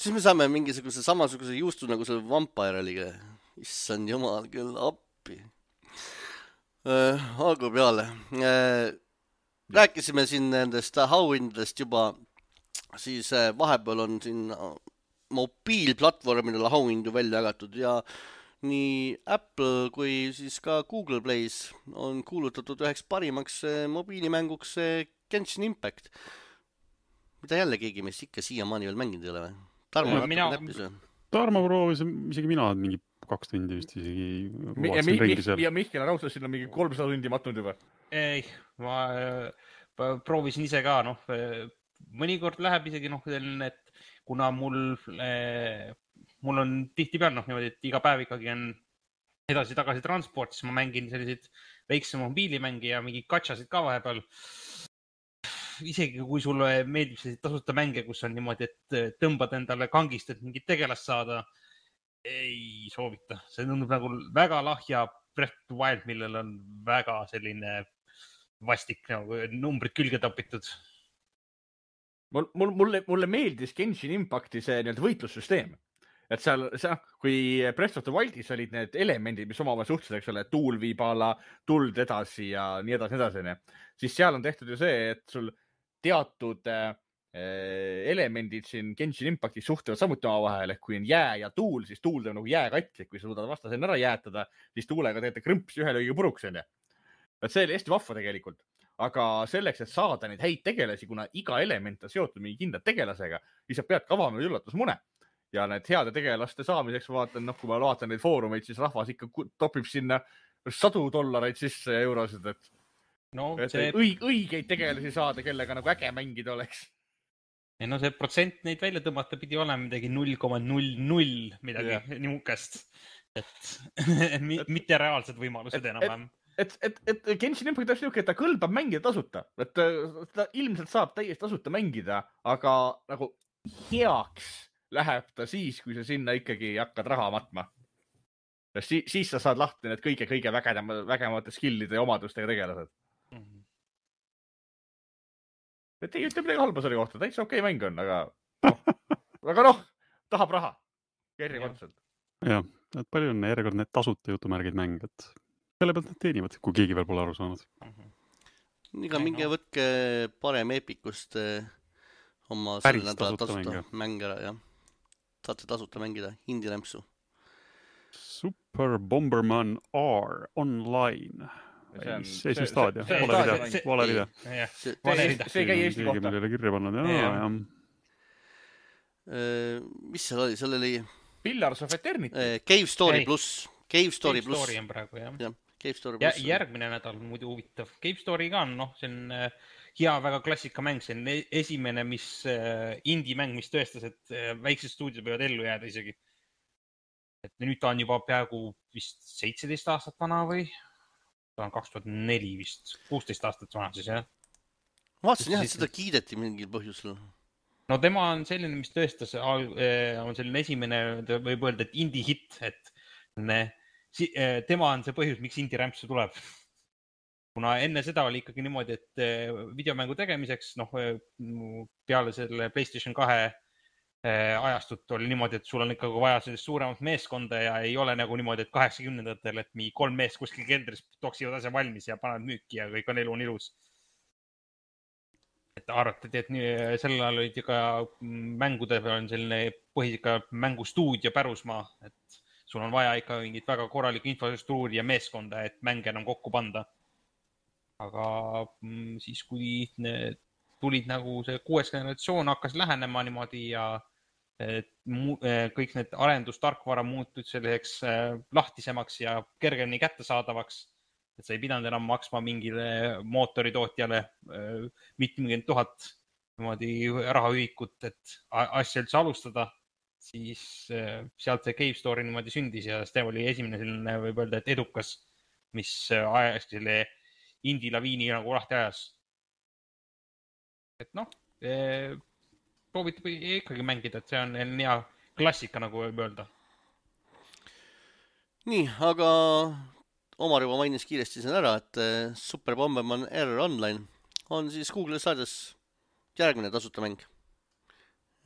siis me saame mingisuguse samasuguse juustu nagu selle Vampire Liga. Issand jumal küll, appi. Algu peale. Rääkisime siin nendest auhindadest juba, siis vahepeal on siin mobiilplatvormidel auhindu välja jagatud ja nii Apple kui siis ka Google Plays on kuulutatud üheks parimaks mobiilimänguks Genshin Impact, mida jälle keegi meist ikka siiamaani veel mänginud ei ole või? Tarmo natuke näppis või? Tarmo proovis, isegi mina mingi 2 tundi vist isegi ja Mihkel Raudselt sinna mingi 300 tundi matnud juba. Ei, ma proovisin ise ka, mõnikord läheb isegi et kuna mul on tihtipeal niimoodi, et iga päev ikkagi on edasi-tagasi transport, siis ma mängin selliseid väiksema mobiilimängi ja mingi gatšasid ka vahepeal. Isegi kui sulle meeldib selliseid tasuta mänge, kus on niimoodi, et tõmbad endale kangist, et mingit tegelast saada, ei soovita. See tundub nagu väga lahja Breath of the Wild, millel on väga selline vastik nagu numbrid külge topitud. Mulle meeldis Genshin Impacti see võitlussüsteem. Et seal, kui Breath of the Wildis olid need elemendid, mis omavahel suhtlesid, eks ole, tuul viib ala, tuld edasi ja nii edasi, siis seal on tehtud ju see, et sul teatud elemendid siin Genshin Impactis suhtlevad samuti omavahel, et kui on jää ja tuul, siis tuul teeb nagu jääkatlik, kui sa suudad vastasena ära jäätada, siis tuulega teete krõmpsi ühe lõiga puruks. Et see oli hästi vahva tegelikult. Aga selleks, et saada neid häid tegelasi, kuna iga element on seotud mingi kindla tegelasega, siis sa pead kavama üllatusmune. Ja need heade tegelaste saamiseks vaatan, kui ma vaatan neid foorumeid, siis rahvas ikka topib sinna $100 sisse ja eurosid, et õigeid tegelasi saada, kellega nagu äge mängida oleks. No see protsent neid välja tõmmata pidi olema midagi 0,00 midagi niukest, et mitte reaalsed võimalused enam. Et Genshin Impact on niisugune, et ta kõlbab mängida tasuta. Et ta ilmselt saab täiesti tasuta mängida, aga nagu heaks läheb ta siis, kui sa sinna ikkagi hakkad raha matma. Siis sa saad lahti need kõige vägevamate skillide ja omadustega tegelased. Et ei ütle midagi halba selle kohta, täitsa okei mäng on, aga tahab raha. Järjekordselt. Jah, et palju on järjekord need tasuta jutumärgid mäng, et selle pealt nad teenivad, kui keegi veel pole aru saanud. Iga minge võtke parem Epicust oma selle nädala tasuta mäng ära, jah. Saate tasuta mängida indie-lämpsu. Super Bomberman R online. See staadia. Vale video. See käi Eesti kohta. Millele kirja pannud. Mis seal oli? Seal oli Pillars of Eternity. Cave Story pluss. Cave Story pluss. Cave Story on praegu, jah. Cave Story pluss. Järgmine nädal muidu huvitav. Cave Story ka on, see on hea, väga klassikamäng. See on esimene, indie-mäng, mis tõestas, et väiksed stuudiod võivad ellu jääda isegi. Et nüüd ta on juba peaaegu vist 17 aastat vana või? Ta on 2004 vist, 16 aastat vana siis, jah. Vaatasin jah, et seda kiideti mingil põhjusel. No tema on selline, mis tõestas, on selline esimene, võib öelda, et indie-hit, et tema on see põhjus, miks indie-rämpsu tuleb. Kuna enne seda oli ikkagi niimoodi, et videomängu tegemiseks, peale selle PlayStation 2 ajastut oli niimoodi, et sul on ikkagi vaja sellist suuremat meeskonda ja ei ole nagu niimoodi, et 80-ndatel, et mingi 3 meest kuskil keldris toksivad asja valmis ja panevad müüki ja kõik on elu on ilus. Et arvatati, et sellel ajal olid ka mängude peal on selline põhisika mängustuudio pärusmaa, et sul on vaja ikka mingit väga korralikku infrastruktuuri ja meeskonda, et mänge enam kokku panda. Aga siis, kui tulid nagu see 6. generatsioon hakkas lähenema niimoodi ja kõik need arendustarkvara muutud selliseks lahtisemaks ja kergemini kättesaadavaks, et sa ei pidanud enam maksma mingile mootoritootjale mitmekümne 1000 niimoodi rahaühikut, et asja üldse alustada, siis sealt see Cave Story niimoodi sündis ja see oli esimene selline, võib öelda, et edukas, mis ajas selle indie-laviini nagu lahti ajas. Et noh, proovitab ikkagi mängida, et see on hea klassika, nagu võib öelda. nii, aga Omar juba mainis kiiresti siin ära, et Super Bomberman R Online on siis Google'i saades järgmine tasuta mäng.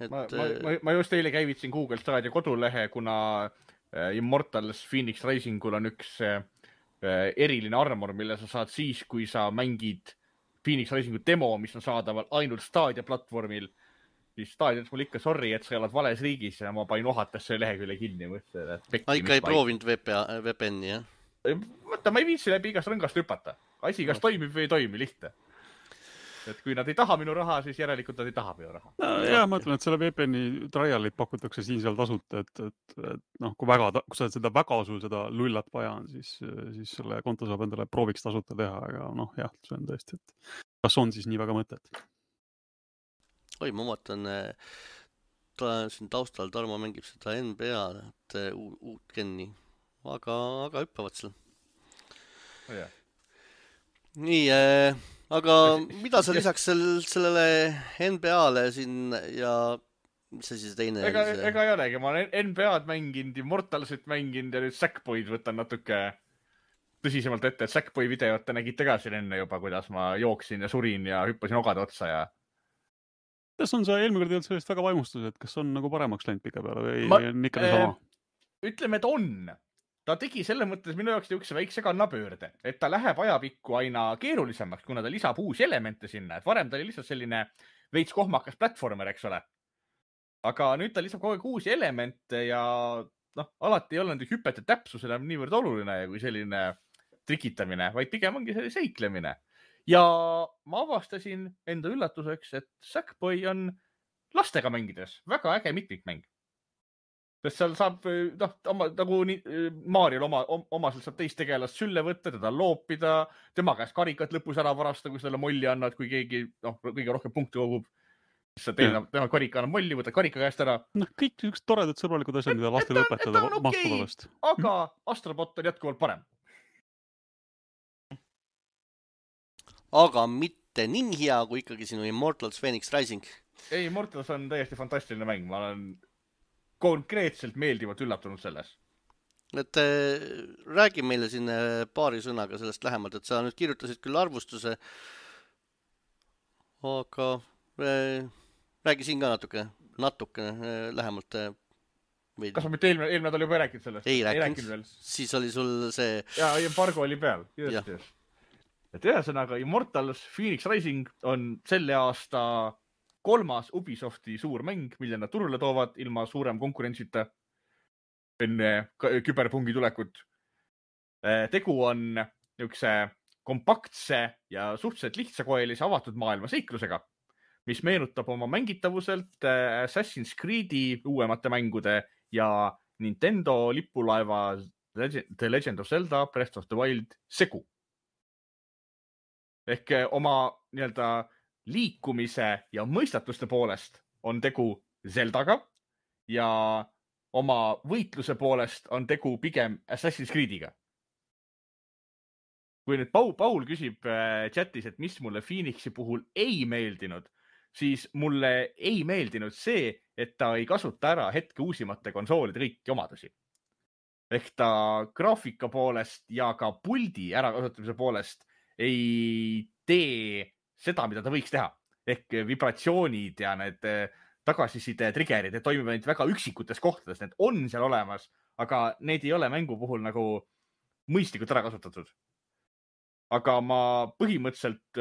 Et... Ma just eile käivitsin Google Stadia kodulehe, kuna Immortals Phoenix Risingul on üks eriline armor, mille sa saad siis, kui sa mängid Phoenix Risingu demo, mis on saadaval ainult Stadia platvormil. Siis Stadia ütles mul ikka sorry, et sa oled vales riigis ja ma panin ohates selle lehekülje kinni. Ikka ei proovinud VPN-i, jah? Võtta, ma ei viitsi läbi igast rõngast hüpata. Asi kas toimib või ei toimi, lihtne. Et kui nad ei taha minu raha, siis järelikult nad ei taha minu raha. Jah, ma ütlen, et selle VPN-i trialit pakutakse siin seal tasuta, et noh, kui sa seda väga seda lullat vaja on, siis selle konto saab endale prooviks tasuta teha, aga noh, jah, see on tõesti, et kas on siis nii väga mõtet? Oi, ma vaatan, siin taustal Tarmo mängib seda NBA, et uut genni, aga hüppavad seal. Oh, nii, aga mida sa lisaks sellele NBA-le siin ja mis see siis teine? Ega ei olegi, ma olen NBA-d mänginud, Immortalsit mänginud ja nüüd Sackboy'd võtan natuke tõsisemalt ette, et Sackboy videot te nägite ka siin enne juba, kuidas ma jooksin ja surin ja hüppasin ogade otsa ja... Kas on see eelmine kord jõud sellest väga vaimustus, et kas on nagu paremaks läinud pika peale või on ikka sama? Ütleme, et on. Ta tegi selle mõttes minu jaoks üks väikse kannapöörde, et ta läheb ajapikku aina keerulisemaks, kuna ta lisab uusi elemente sinna. Et varem ta oli lihtsalt selline veits kohmakas platformer, eks ole. Aga nüüd ta lisab kogu aeg uusi elemente ja alati ei ole nende hüpete täpsus enam niivõrd oluline kui selline trikitamine, vaid pigem ongi selline seiklemine. Ja ma avastasin enda üllatuseks, et Sackboy on lastega mängides väga äge mitmikmäng. Sest seal saab, nagu Mariol omaselt saab teist tegelast sülle võtta, teda loopida, tema käest karikat lõpus ära varasta, kui selle molli annad, kui keegi kõige rohkem punkti kogub. Siis sa tema karika annab molli, võtad karika käest ära. Kõik üks toredad sõbralikud asjad, mida lastele õpetada mahtuvast. Aga Astrobot on jätkuvalt parem. Aga mitte nii hea, kui ikkagi sinu Immortals Phoenix Rising. Ei, Immortals on täiesti fantastiline mäng. Ma olen konkreetselt meeldivalt üllatunud selles. Et räägi meile siin paari sõnaga sellest lähemalt, et sa nüüd kirjutasid küll arvustuse, aga räägi siin ka natuke lähemalt. Kas ma mitte eelmine nädal juba rääkinud sellest? Ei rääkinud. Siis oli sul see... Ja embargo oli peal. Just. Et ühesõnaga, Immortals Phoenix Rising on selle aasta 3. Ubisofti suur mäng, mille nad turule toovad ilma suurem konkurentsita enne küberpungi tulekut. Tegu on niisuguse kompaktse ja suhteliselt lihtsakoelise avatud maailma seiklusega, mis meenutab oma mängitavuselt Assassin's Creed'i uuemate mängude ja Nintendo lipulaeva The Legend of Zelda Breath of the Wild segu. Ehk oma liikumise ja mõistatuste poolest on tegu Zeldaga ja oma võitluse poolest on tegu pigem Assassin's Creed'iga. Kui nüüd Paul küsib chatis, et mis mulle Phoenixi puhul ei meeldinud, siis mulle ei meeldinud see, et ta ei kasuta ära hetke uusimate konsoolide kõiki omadusi. Ehk ta graafika poolest ja ka puldi ärakasutamise poolest ei tee seda, mida ta võiks teha. Ehk vibratsioonid ja need tagasiside triggerid, need toimivad ainult väga üksikutes kohtades. Need on seal olemas, aga need ei ole mängu puhul nagu mõistlikult ära kasutatud. Aga ma põhimõtteliselt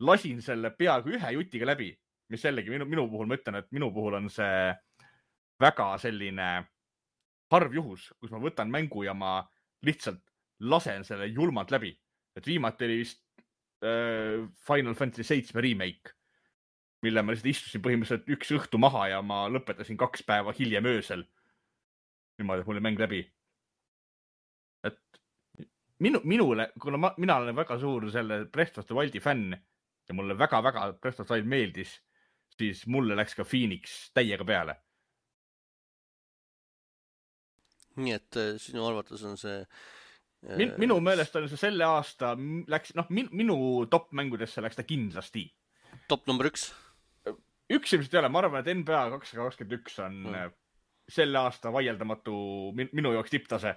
lasin selle peaaegu ühe jutiga läbi, mis jällegi minu puhul ma ütlen, et minu puhul on see väga selline harv juhus, kus ma võtan mängu ja ma lihtsalt lasen selle julmalt läbi. Et viimati oli vist Final Fantasy 7 remake, mille ma lihtsalt istusin põhimõtteliselt üks õhtu maha ja ma lõpetasin 2 päeva hiljem öösel. Niimoodi, et mul oli mäng läbi. Et minule, kuna mina olen väga suur selle Breath of the Wildi fänn ja mulle väga-väga Breath of the Wild meeldis, siis mulle läks ka Phoenix täiega peale. Nii et sinu arvates on see Minu meelest on see selle aasta läks, minu top mängudesse läks ta kindlasti. Top number 1? Üks ilmselt ei ole, ma arvan, et NBA 221 on selle aasta vaieldamatu minu jaoks tipptase.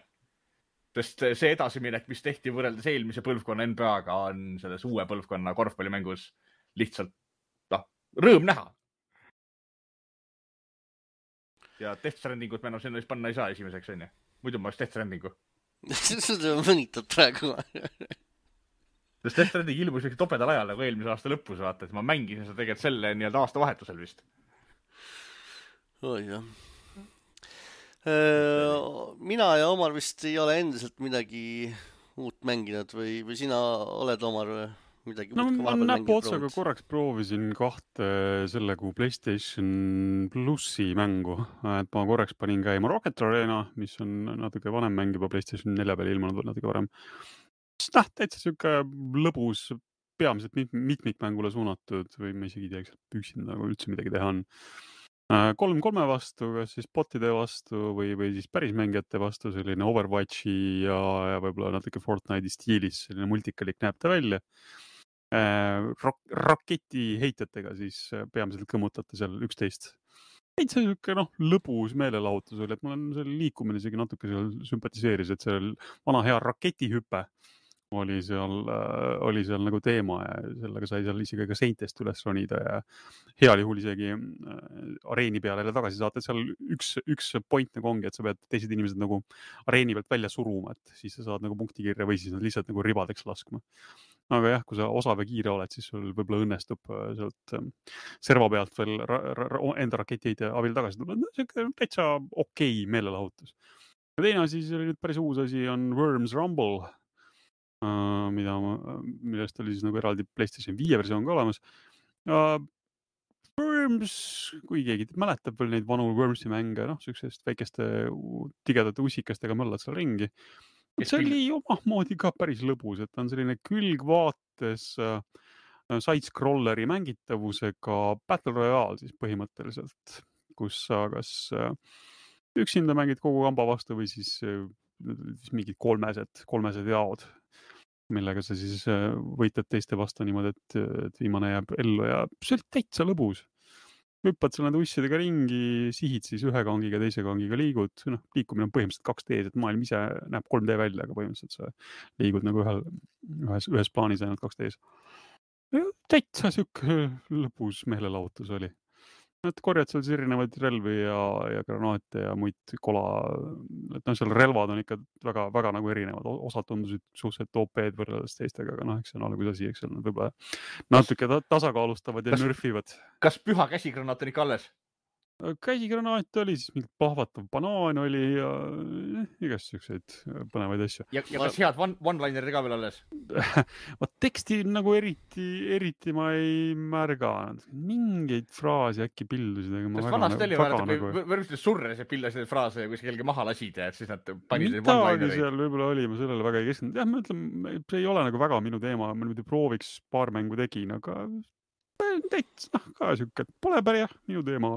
Sest see edasiminek, mis tehti võrreldes eelmise põlvkonna NBA-ga, on selles uue põlvkonna korvpallimängus lihtsalt rõõm näha. Ja Death Strandingut me sinna vist panna ei saa esimeseks, on ju. Muidu ma oleks Death Strandingu. Seda mõnitad praegu. Sest Death Stranding ilmus üks topedal ajal nagu eelmise aasta lõpus, vaata, et ma mängisin seda tegelikult selle nii-öelda aasta vahetusel vist. Oi jah. Mina ja Omar vist ei ole endiselt midagi uut mänginud või sina oled, Omar, midagi no uut ma näpu otsaga korraks proovisin 2 selle kui PlayStation Plussi mängu, et ma korraks panin käima Rocket Arena, mis on natuke vanem mäng juba PlayStation 4 peal ilmunud natuke varem. Täitsa siuke lõbus, peamiselt mitmikmängule suunatud või ma isegi teaks, et üksinda nagu üldse midagi teha on. 3-3 vastu, kas siis botide vastu või siis päris mängijate vastu, selline Overwatchi ja võib-olla natuke Fortnite'i stiilis, selline multikalik näeb ta välja. Raketi heitjatega siis peamiselt kõmutate seal 11. Täitsa siuke lõbus meelelahutus oli, et mul on selle liikumine isegi natuke seal sümpatiseeris, et seal vana hea raketihüpe oli seal nagu teema ja sellega sai seal isegi ka seintest üles ronida ja heal juhul isegi areeni peale tagasi saata, et seal üks point nagu ongi, et sa pead teised inimesed nagu areeni pealt välja suruma, et siis sa saad nagu punktikirja või siis nad lihtsalt nagu ribadeks laskma. Aga jah, kui sa osav ja kiire oled, siis sul võib-olla õnnestub sealt serva pealt veel enda raketiheide abil tagasi tulla. See täitsa okei meelelahutus. Ja teine asi, see oli nüüd päris uus asi, on Worms Rumble, millest oli siis nagu eraldi PlayStation 5 versioon ka olemas. Worms, kui keegi mäletab veel neid vanu Wormsi mänge, sellisest väikeste tigedate ussikastega möllad seal ringi. See oli omamoodi ka päris lõbus, et on selline külgvaates side-scrolleri mängitavusega Battle Royale siis põhimõtteliselt, kus sa kas üksinda mängid kogu kamba vastu või siis mingid kolmesed jaod, millega sa siis võitled teiste vastu niimoodi, et viimane jääb ellu ja see oli täitsa lõbus. Hüppad seal nende ussidega ringi, sihid siis ühe kangiga, teise kangiga liigud. Liikumine on põhimõtteliselt 2D-s, et maailm ise näeb 3D välja, aga põhimõtteliselt sa liigud nagu ühes plaanis ainult 2D-s. Täitsa siuke lõbus meelelahutus oli. Et korjad seal erinevaid relvi ja granaate ja muid kola, et seal relvad on ikka väga nagu erinevad. Osad tundusid suhteliselt OP-d võrreldes teistega, aga eks see on alguses asi, eks seal nad võib-olla natuke tasakaalustavad ja nörfivad. Kas püha käsigranaat on ikka alles? Käsigranaat oli, siis mingi pahvatav banaan oli ja igast selliseid põnevaid asju. Ja kas head one-linerid ka veel alles? Teksti nagu eriti ma ei märganud. Mingeid fraasi äkki pildusid. Sest vanasti oli võrgustes surres ja pillasid fraase ja kui see kelge maha lasid ja siis nad panid neid one-linereid. Midagi seal võib-olla oli, ma sellele väga ei keskendunud. Jah, ma ütlen, see ei ole nagu väga minu teema. Ma nüüd prooviks paar mängu tegin, aga täitsa ka siuke, pole päris minu teema,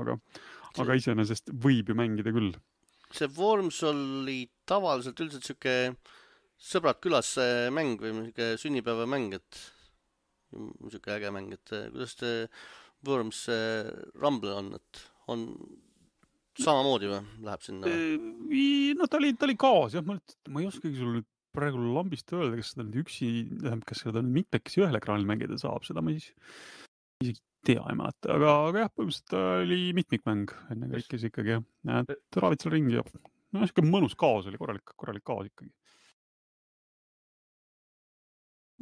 aga iseenesest võib ju mängida küll. See Worms oli tavaliselt üldiselt siuke sõbrad külas mäng või sünnipäeva mäng, et siuke äge mäng, et kuidas see Worms Rumble on, et on samamoodi või läheb sinna? No ta oli kaas, jah, ma ei oskagi sul nüüd praegu lambist öelda, kas seda nüüd üksi, kas seda nüüd mitmekesi ühel ekraanil mängida saab, seda ma siis isegi tea ei mäleta, aga jah, põhimõtteliselt oli mitmikmäng enne kõikes ikkagi, et raavid seal ringi ja siuke mõnus kaos oli, korralik kaos ikkagi.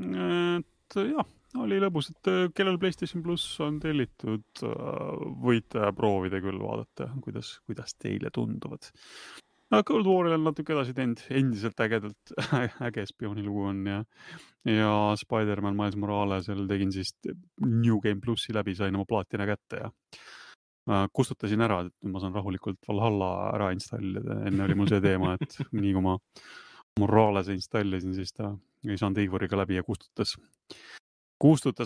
Et jah, oli lõbus, et kellel PlayStation Plus on tellitud, võite proovida küll vaadata, kuidas teile tunduvad. Cold War'il on natuke edasi teinud, endiselt äge spioonilugu on ja Spider-Man Miles Moralesel tegin siis New Game Plussi läbi, sain oma plaatina kätte ja kustutasin ära, et ma saan rahulikult Valhalla ära installida. Enne oli mul see teema, et nii kui ma Moralese installisin, siis ta ei saanud Eivoriga läbi ja kustutas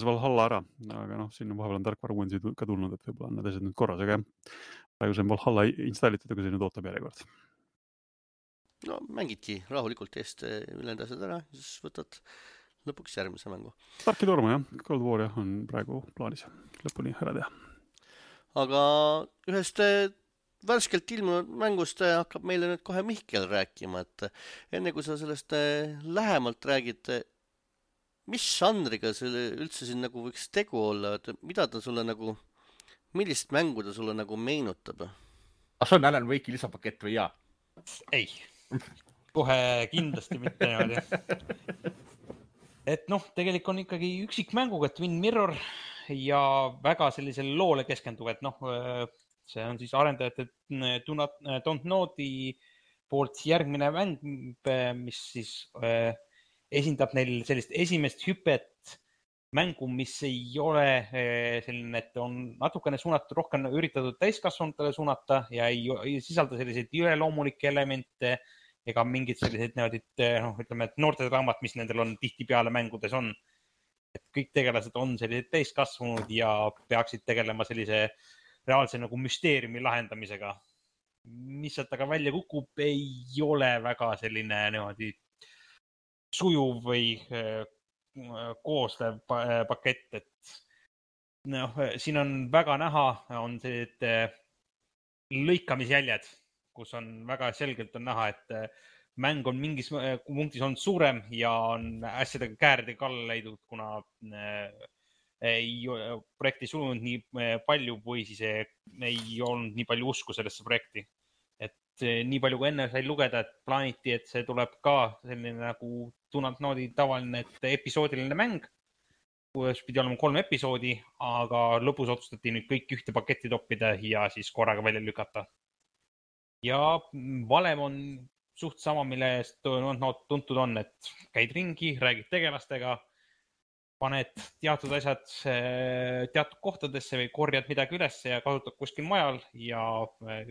Valhalla ära, aga sinna vahepeal on tarkvara uuendusi ka tulnud, et võib-olla on need asjad nüüd korras, aga praegu see on Valhalla installitud, aga see nüüd ootab järjekord. no mängidki rahulikult eest ülejäänud asjad ära, siis võtad lõpuks järgmise mängu. Tarki torma jah, Cold War jah, on praegu plaanis lõpuni ära teha. Aga ühest värskelt ilmunud mängust hakkab meile nüüd kohe Mihkel rääkima, et enne kui sa sellest lähemalt räägid, mis žanriga selle üldse siin nagu võiks tegu olla, et mida ta sulle nagu, millist mängu ta sulle nagu meenutab? See on Alan Wake'i lisapakett või jaa? Ei, kohe kindlasti mitte niimoodi. Et noh, tegelikult on ikkagi üksikmänguga Twin Mirror ja väga sellisele loole keskenduv, et noh, see on siis arendajate Don't Know'i poolt järgmine mäng, mis siis esindab neil sellist esimest hüpet mängu, mis ei ole selline, et on natukene suunatud, rohkem üritatud täiskasvanutele suunata ja ei sisalda selliseid üleloomulikke elemente ega mingid sellised ütleme, et noortedraamat, mis nendel on tihtipeale mängudes on. Et kõik tegelased on sellised täiskasvanud ja peaksid tegelema sellise reaalse nagu müsteeriumi lahendamisega. Mis sealt aga välja kukub, ei ole väga selline niimoodi sujuv või kooslev pakett, et noh, siin on väga näha, on sellised lõikamisjäljed, kus on väga selgelt on näha, et mäng on mingis punktis on suurem ja on asjadega käärdega kalla leidnud, kuna ei projekti sulunud nii palju või siis ei olnud nii palju usku sellesse projekti. Et nii palju kui enne sai lugeda, et plaaniti, et see tuleb ka selline nagu Don't Know'i tavaline episoodiline mäng, kus pidi olema 3 episoodi, aga lõpus otsustati nüüd kõik ühte paketti toppida ja siis korraga välja lükata. Ja valem on suht sama, mille eest tuntud on, et käid ringi, räägid tegelastega, paned teatud asjad teatud kohtadesse või korjad midagi üles ja kasutad kuskil majal ja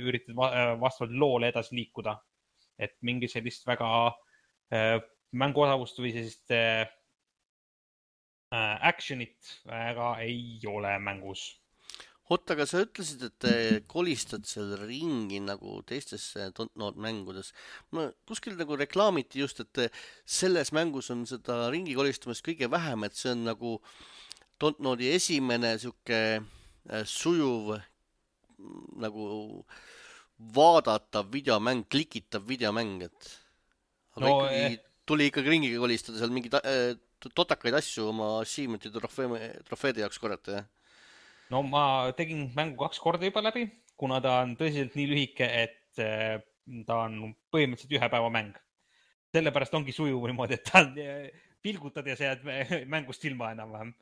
üritad vastavalt loole edasi liikuda. Et mingi sellist väga mänguosavust või sellist actionit väga ei ole mängus. Oota, aga sa ütlesid, et kolistad seal ringi nagu teistesse Don't Know mängudes. Ma kuskil nagu reklaamiti just, et selles mängus on seda ringi kolistamist kõige vähem, et see on nagu Don't Know'i esimene siuke sujuv nagu vaadatav videomäng, klikitav videomäng, et aga no, ikkagi tuli ikkagi ringiga kolistada seal mingi totakaid asju oma achievement'i trofeede jaoks korjata, jah? No ma tegin mängu 2 korda juba läbi, kuna ta on tõsiselt nii lühike, et ta on põhimõtteliselt 1 päeva mäng. Sellepärast ongi sujuv niimoodi, et ta pilgutad ja sa jääd mängust ilma enam-vähem.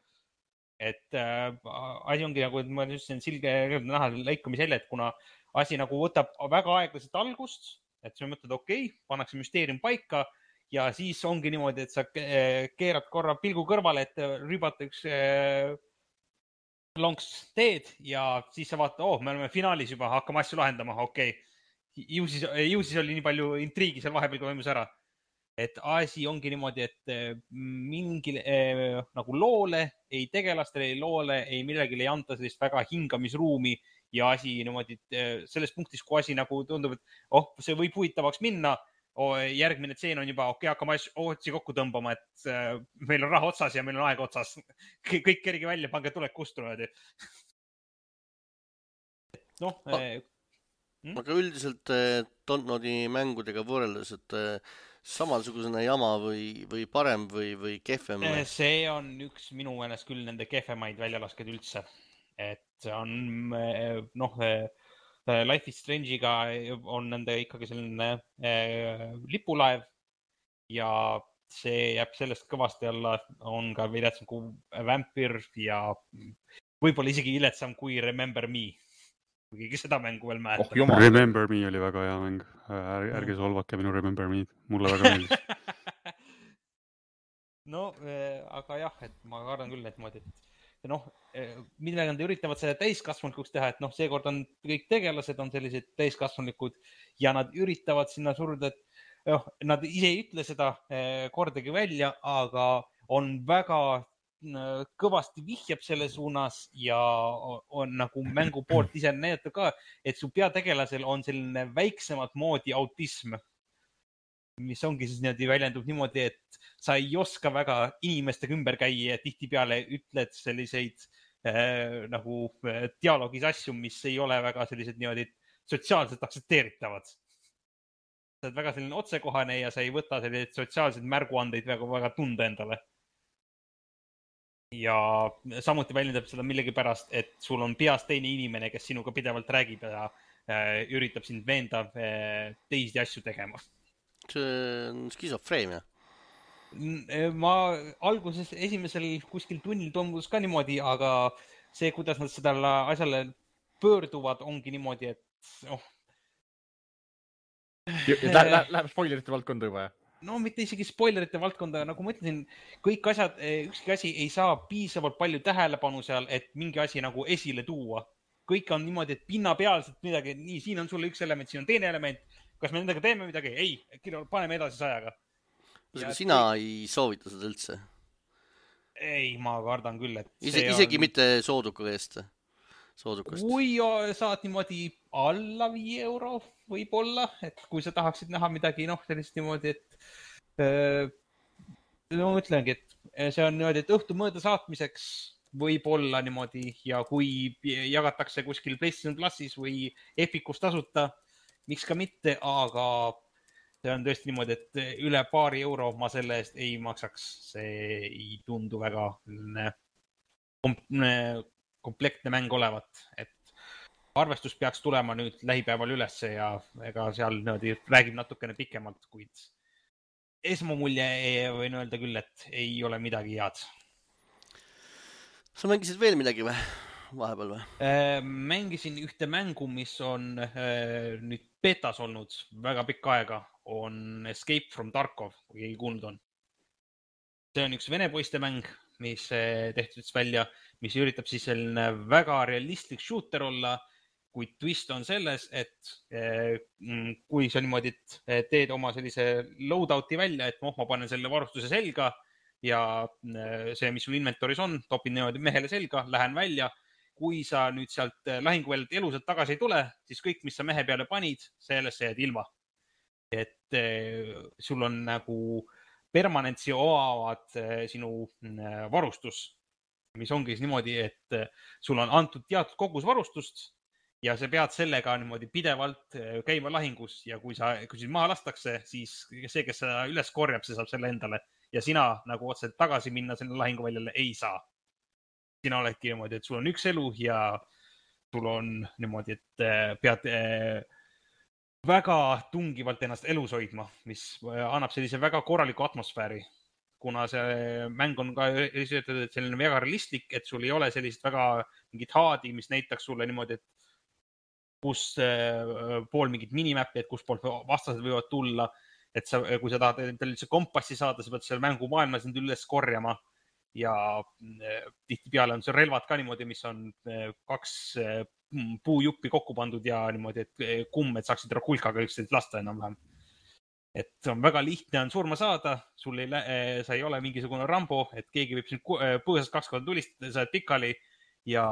Et asi ongi nagu, et ma ütlesin silge näha lõikamisjälje, et kuna asi nagu võtab väga aeglaselt algust, et sa mõtled, okei, pannakse müsteerium paika ja siis ongi niimoodi, et sa keerad korra pilgu kõrvale, et rübata üks lonks teed ja siis sa vaatad, me oleme finaalis juba, hakkame asju lahendama, okei. Ju siis oli nii palju intriigi seal vahepeal, kui toimus ära. Et asi ongi niimoodi, et mingi nagu loole, ei tegelastele, ei loole, ei millegile ei anta sellist väga hingamisruumi ja asi niimoodi, selles punktis, kui asi nagu tundub, et see võib huvitavaks minna, järgmine tseen on juba, hakkame otsi kokku tõmbama, et meil on raha otsas ja meil on aeg otsas. Kõik kerige välja, pange tulek kustunud. Noh. Aga üldiselt Don't Know'i mängudega võrreldes, et samasugusena jama või parem või kehvem? See on üks minu meelest küll nende kehvemaid väljalasked üldse. Et on Life is Strange'iga on nende ikkagi selline lipulaev ja see jääb sellest kõvasti alla, on ka viletsam kui Vampire ja võib-olla isegi viletsam kui Remember Me. Kui keegi seda mängu veel mäletab. Remember Me oli väga hea mäng. Ärge solvake minu Remember Me. Mulle väga meeldis. No, aga jah, et ma kardan küll, et millega nad üritavad seda täiskasvanlikuks teha, et seekord on kõik tegelased on sellised täiskasvanlikud ja nad üritavad sinna suruda, et nad ise ei ütle seda kordagi välja, aga on väga kõvasti vihjab selle suunas ja on nagu mängu poolt ise näidata ka, et su peategelasel on selline väiksemat moodi autism. mis ongi siis niimoodi väljendub niimoodi, et sa ei oska väga inimestega ümber käia ja tihtipeale ütled selliseid nagu dialoogis asju, mis ei ole väga sellised niimoodi sotsiaalselt aktsepteeritavad. Sa oled väga selline otsekohane ja sa ei võta selliseid sotsiaalseid märguandeid väga tunda endale. Ja samuti väljendab seda millegipärast, et sul on peas teine inimene, kes sinuga pidevalt räägib ja üritab sind veenda teisi asju tegema. See on skisofreemia. Ma alguses esimesel kuskil tunnil toimus ka niimoodi, aga see, kuidas nad seda asjale pöörduvad, ongi niimoodi, et Läheb spoilerite valdkonda juba, jah? No mitte isegi spoilerite valdkonda, nagu ma ütlesin, kõik asjad, ükski asi ei saa piisavalt palju tähelepanu seal, et mingi asi nagu esile tuua. Kõik on niimoodi, et pinnapealselt midagi, nii, siin on sulle üks element, siin on teine element. Kas me nendega teeme midagi? Ei, paneme edasi 100-ga. Sina ei soovita seda üldse? Ei, ma kardan küll, et isegi mitte sooduka eest? Kui saad niimoodi alla 5 euro võib-olla, et kui sa tahaksid näha midagi, sellist niimoodi, et ma ütlengi, et see on niimoodi, et õhtu mõõda saatmiseks võib-olla niimoodi ja kui jagatakse kuskil PlayStation Plusis või Epicus tasuta, miks ka mitte, aga see on tõesti niimoodi, et üle paari euro ma selle eest ei maksaks. See ei tundu väga komplektne mäng olevat, et arvestus peaks tulema nüüd lähipäeval ülesse ja ega seal räägib natukene pikemalt, kuid esmamulje võin öelda küll, et ei ole midagi head. Sa mängisid veel midagi või? Vahepeal või? Mängisin ühte mängu, mis on nüüd betas olnud väga pikka aega, on Escape from Tarkov, kui keegi kuulnud on. See on üks vene poiste mäng, mis tehtud välja, mis üritab siis selline väga realistlik shooter olla, kuid twist on selles, et kui sa niimoodi teed oma sellise loadout'i välja, et ma panen selle varustuse selga ja see, mis sul inventoris on, topin niimoodi mehele selga, lähen välja. Kui sa nüüd sealt lahinguväljalt elusalt tagasi ei tule, siis kõik, mis sa mehe peale panid, sellest sa jääd ilma. Et sul on nagu permanentsi oavad sinu varustus, mis ongi niimoodi, et sul on antud teatud kogus varustust ja sa pead sellega niimoodi pidevalt käima lahingus ja kui sind maha lastakse, siis see, kes seda üles korjab, see saab selle endale ja sina nagu otseselt tagasi minna selle lahinguväljale ei saa. Sina oledki niimoodi, et sul on üks elu ja sul on niimoodi, et pead väga tungivalt ennast elus hoidma, mis annab sellise väga korraliku atmosfääri. Kuna see mäng on ka selline väga realistlik, et sul ei ole sellist väga mingit haadi, mis näitaks sulle niimoodi, et kus pool mingit minimäppi, et kus pool vastased võivad tulla. Et kui sa tahad endale kompassi saada, sa pead selle mängu maailma sind üles korjama ja tihtipeale on see relvad ka niimoodi, mis on 2 puujuppi kokku pandud ja niimoodi, et kumm, et saaksid rakulkaga üksteist lasta enam-vähem. Et on väga lihtne on surma saada, sa ei ole mingisugune Rambo, et keegi võib sind põõsast 2 korda tulistada, sa oled pikali ja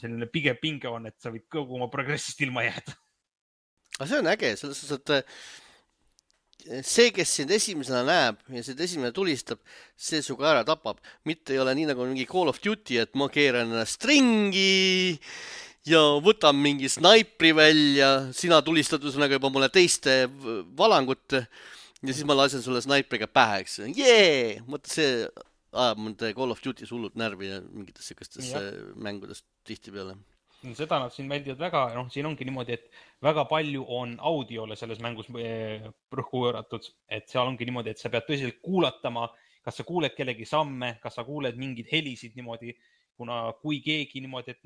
selline pigem pinge on, et sa võid kogu oma progressist ilma jääda. Aga see on äge, selles suhtes, et see, kes sind esimesena näeb ja sind esimene tulistab, see suga ära tapab. Mitte ei ole nii nagu mingi Call of Duty, et ma keeran ennast ringi ja võtan mingi snaipri välja, sina tulistad üsnaga juba mulle teiste valangut ja siis ma lasen sulle snaipriga päheks. Mõtle, see ajab mõnda Call of Duty hullult närvi ja mingites sellistes mängudest tihtipeale. Seda nad siin väldivad väga, siin ongi niimoodi, et väga palju on audiole selles mängus rõhku võõratud, et seal ongi niimoodi, et sa pead tõsiselt kuulatama, kas sa kuuled kellegi samme, kas sa kuuled mingid helisid niimoodi, kuna kui keegi niimoodi, et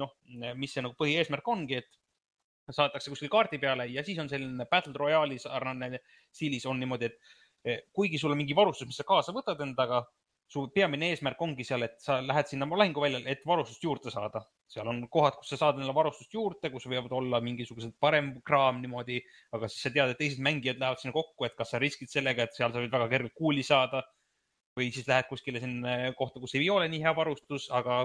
mis see nagu põhieesmärk ongi, et saadetakse kuskil kaardi peale ja siis on selline Battle Royale'i sarnane stiilis on niimoodi, et kuigi sul on mingi varustus, mis sa kaasa võtad endaga, su peamine eesmärk ongi seal, et sa lähed sinna lahinguväljale, et varustust juurde saada. Seal on kohad, kus sa saad endale varustust juurde, kus võivad olla mingisugused parem kraam niimoodi, aga siis sa tead, et teised mängijad lähevad sinna kokku, et kas sa riskid sellega, et seal sa võid väga kergelt kuuli saada või siis lähed kuskile sinna kohta, kus ei ole nii hea varustus, aga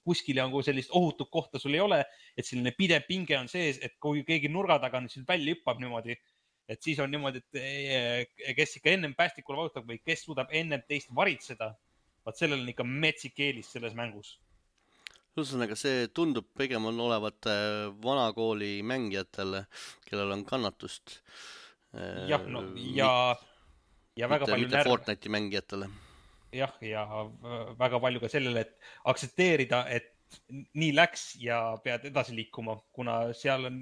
kuskile on sellist ohutut kohta sul ei ole, et selline pidev pinge on sees, et kui keegi nurga taga nüüd välja hüppab niimoodi, et siis on niimoodi, et kes ikka ennem päästikule vajutab või kes suudab ennem teist varitseda, vaat sellel on ikka metsik eelis selles mängus. Ühesõnaga, see tundub pigem on olevat vanakooli mängijatele, kellel on kannatust. Jah, no ja väga palju mitte Fortnite'i mängijatele. Jah, ja väga palju ka sellele, et aktsepteerida, et nii läks ja pead edasi liikuma, kuna seal on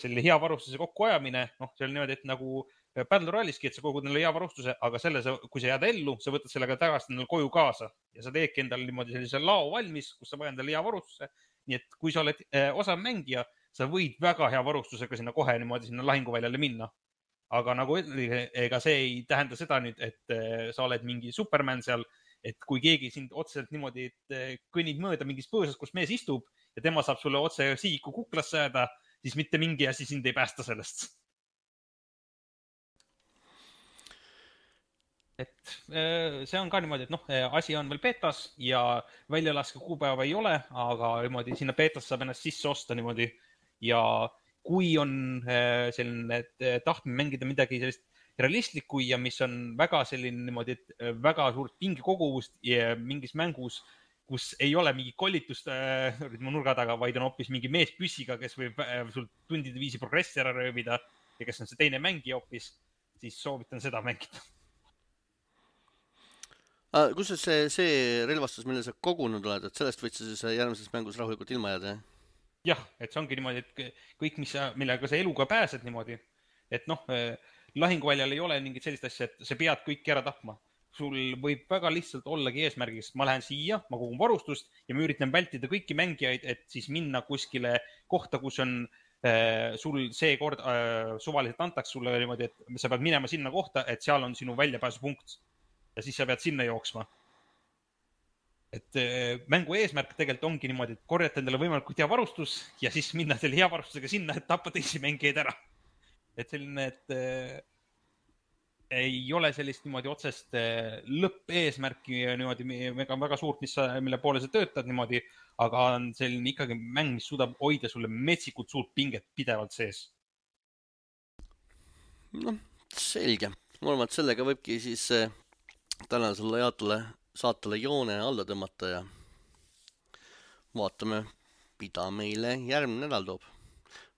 selline hea varustuse kokkuajamine, noh, see on niimoodi, et nagu Battle Royale'iski, et sa kogud endale hea varustuse, aga selle, kui sa jääd ellu, sa võtad sellega tagasi endale koju kaasa ja sa teedki endale niimoodi sellise lao valmis, kus sa vajad endale hea varustuse. Nii et kui sa oled osav mängija, sa võid väga hea varustusega sinna kohe niimoodi sinna lahinguväljale minna. Aga nagu ega see ei tähenda seda nüüd, et sa oled mingi Superman seal, et kui keegi sind otseselt niimoodi, et kõnnid mööda mingist põõsast, kus mees istub ja tema saab sulle otse sihiku kuklasse jääda, siis mitte mingi asi sind ei päästa sellest. Et see on ka niimoodi, et noh, asi on veel betas ja väljalaske kuupäeva ei ole, aga niimoodi sinna betas saab ennast sisse osta niimoodi ja kui on selline tahtmine mängida midagi sellist realistlikku ja mis on väga selline niimoodi, et väga suurt pingekoguvust mingis mängus, kus ei ole mingi kollitust nurga taga, vaid on hoopis mingi mees püssiga, kes võib sul tundide viisi progressi ära röövida ja kes on see teine mängija hoopis, siis soovitan seda mängida. Kus see relvastus, mille sa kogunud oled, et sellest võid sa siis järgmises mängus rahulikult ilma jääda? Jah, et see ongi niimoodi, et kõik, millega sa eluga pääsed niimoodi, et noh, lahinguväljal ei ole mingit sellist asja, et sa pead kõiki ära tapma. Sul võib väga lihtsalt ollagi eesmärgiks, ma lähen siia, ma kogun varustust ja ma üritan vältida kõiki mängijaid, et siis minna kuskile kohta, kus on sul see kord suvaliselt antaks sulle niimoodi, et sa pead minema sinna kohta, et seal on sinu väljapääsupunkt. Ja siis sa pead sinna jooksma. Et mängu eesmärk tegelikult ongi niimoodi, et korjata endale võimalikult hea varustus ja siis minna selle hea varustusega sinna, et tappa teisi mängijaid ära. Et selline, et ei ole sellist niimoodi otsest lõppeesmärki niimoodi väga suurt, mille poole sa töötad niimoodi, aga on selline ikkagi mäng, mis suudab hoida sulle metsikult suurt pinget pidevalt sees. No, selge. Ma arvan, et sellega võibki siis tänasele saatele joone alla tõmmata ja vaatame, mida meile järgmine nädal toob.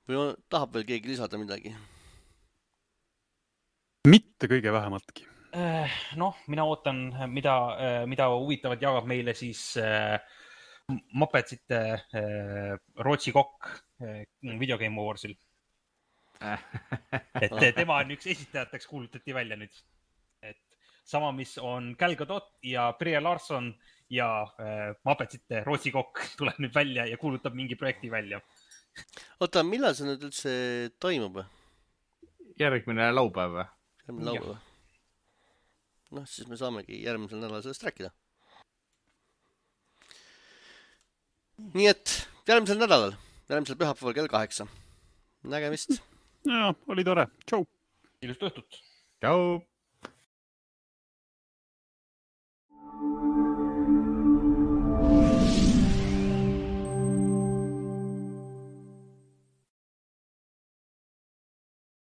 Või tahab veel keegi lisada midagi? Mitte kõige vähemaltki. Noh, mina ootan, mida huvitavat jagab meile siis Muppetsite Rootsi kokk Video Game Awarsil. Et tema on üks esitajateks kuulutati välja nüüd. Et sama, mis on Gal Gadot ja Brie Larson ja Muppetsite Rootsi kokk tuleb nüüd välja ja kuulutab mingi projekti välja. Oota, millal see nüüd üldse toimub? Järgmine laupäev. Järgmine laupäev. Noh, siis me saamegi järgmisel nädalal sellest rääkida. Nii et järgmisel nädalal, järgmisel pühapäeval kell 8. Nägemist. Ja, oli tore. Tšau. Ilust õhtut. Tšau.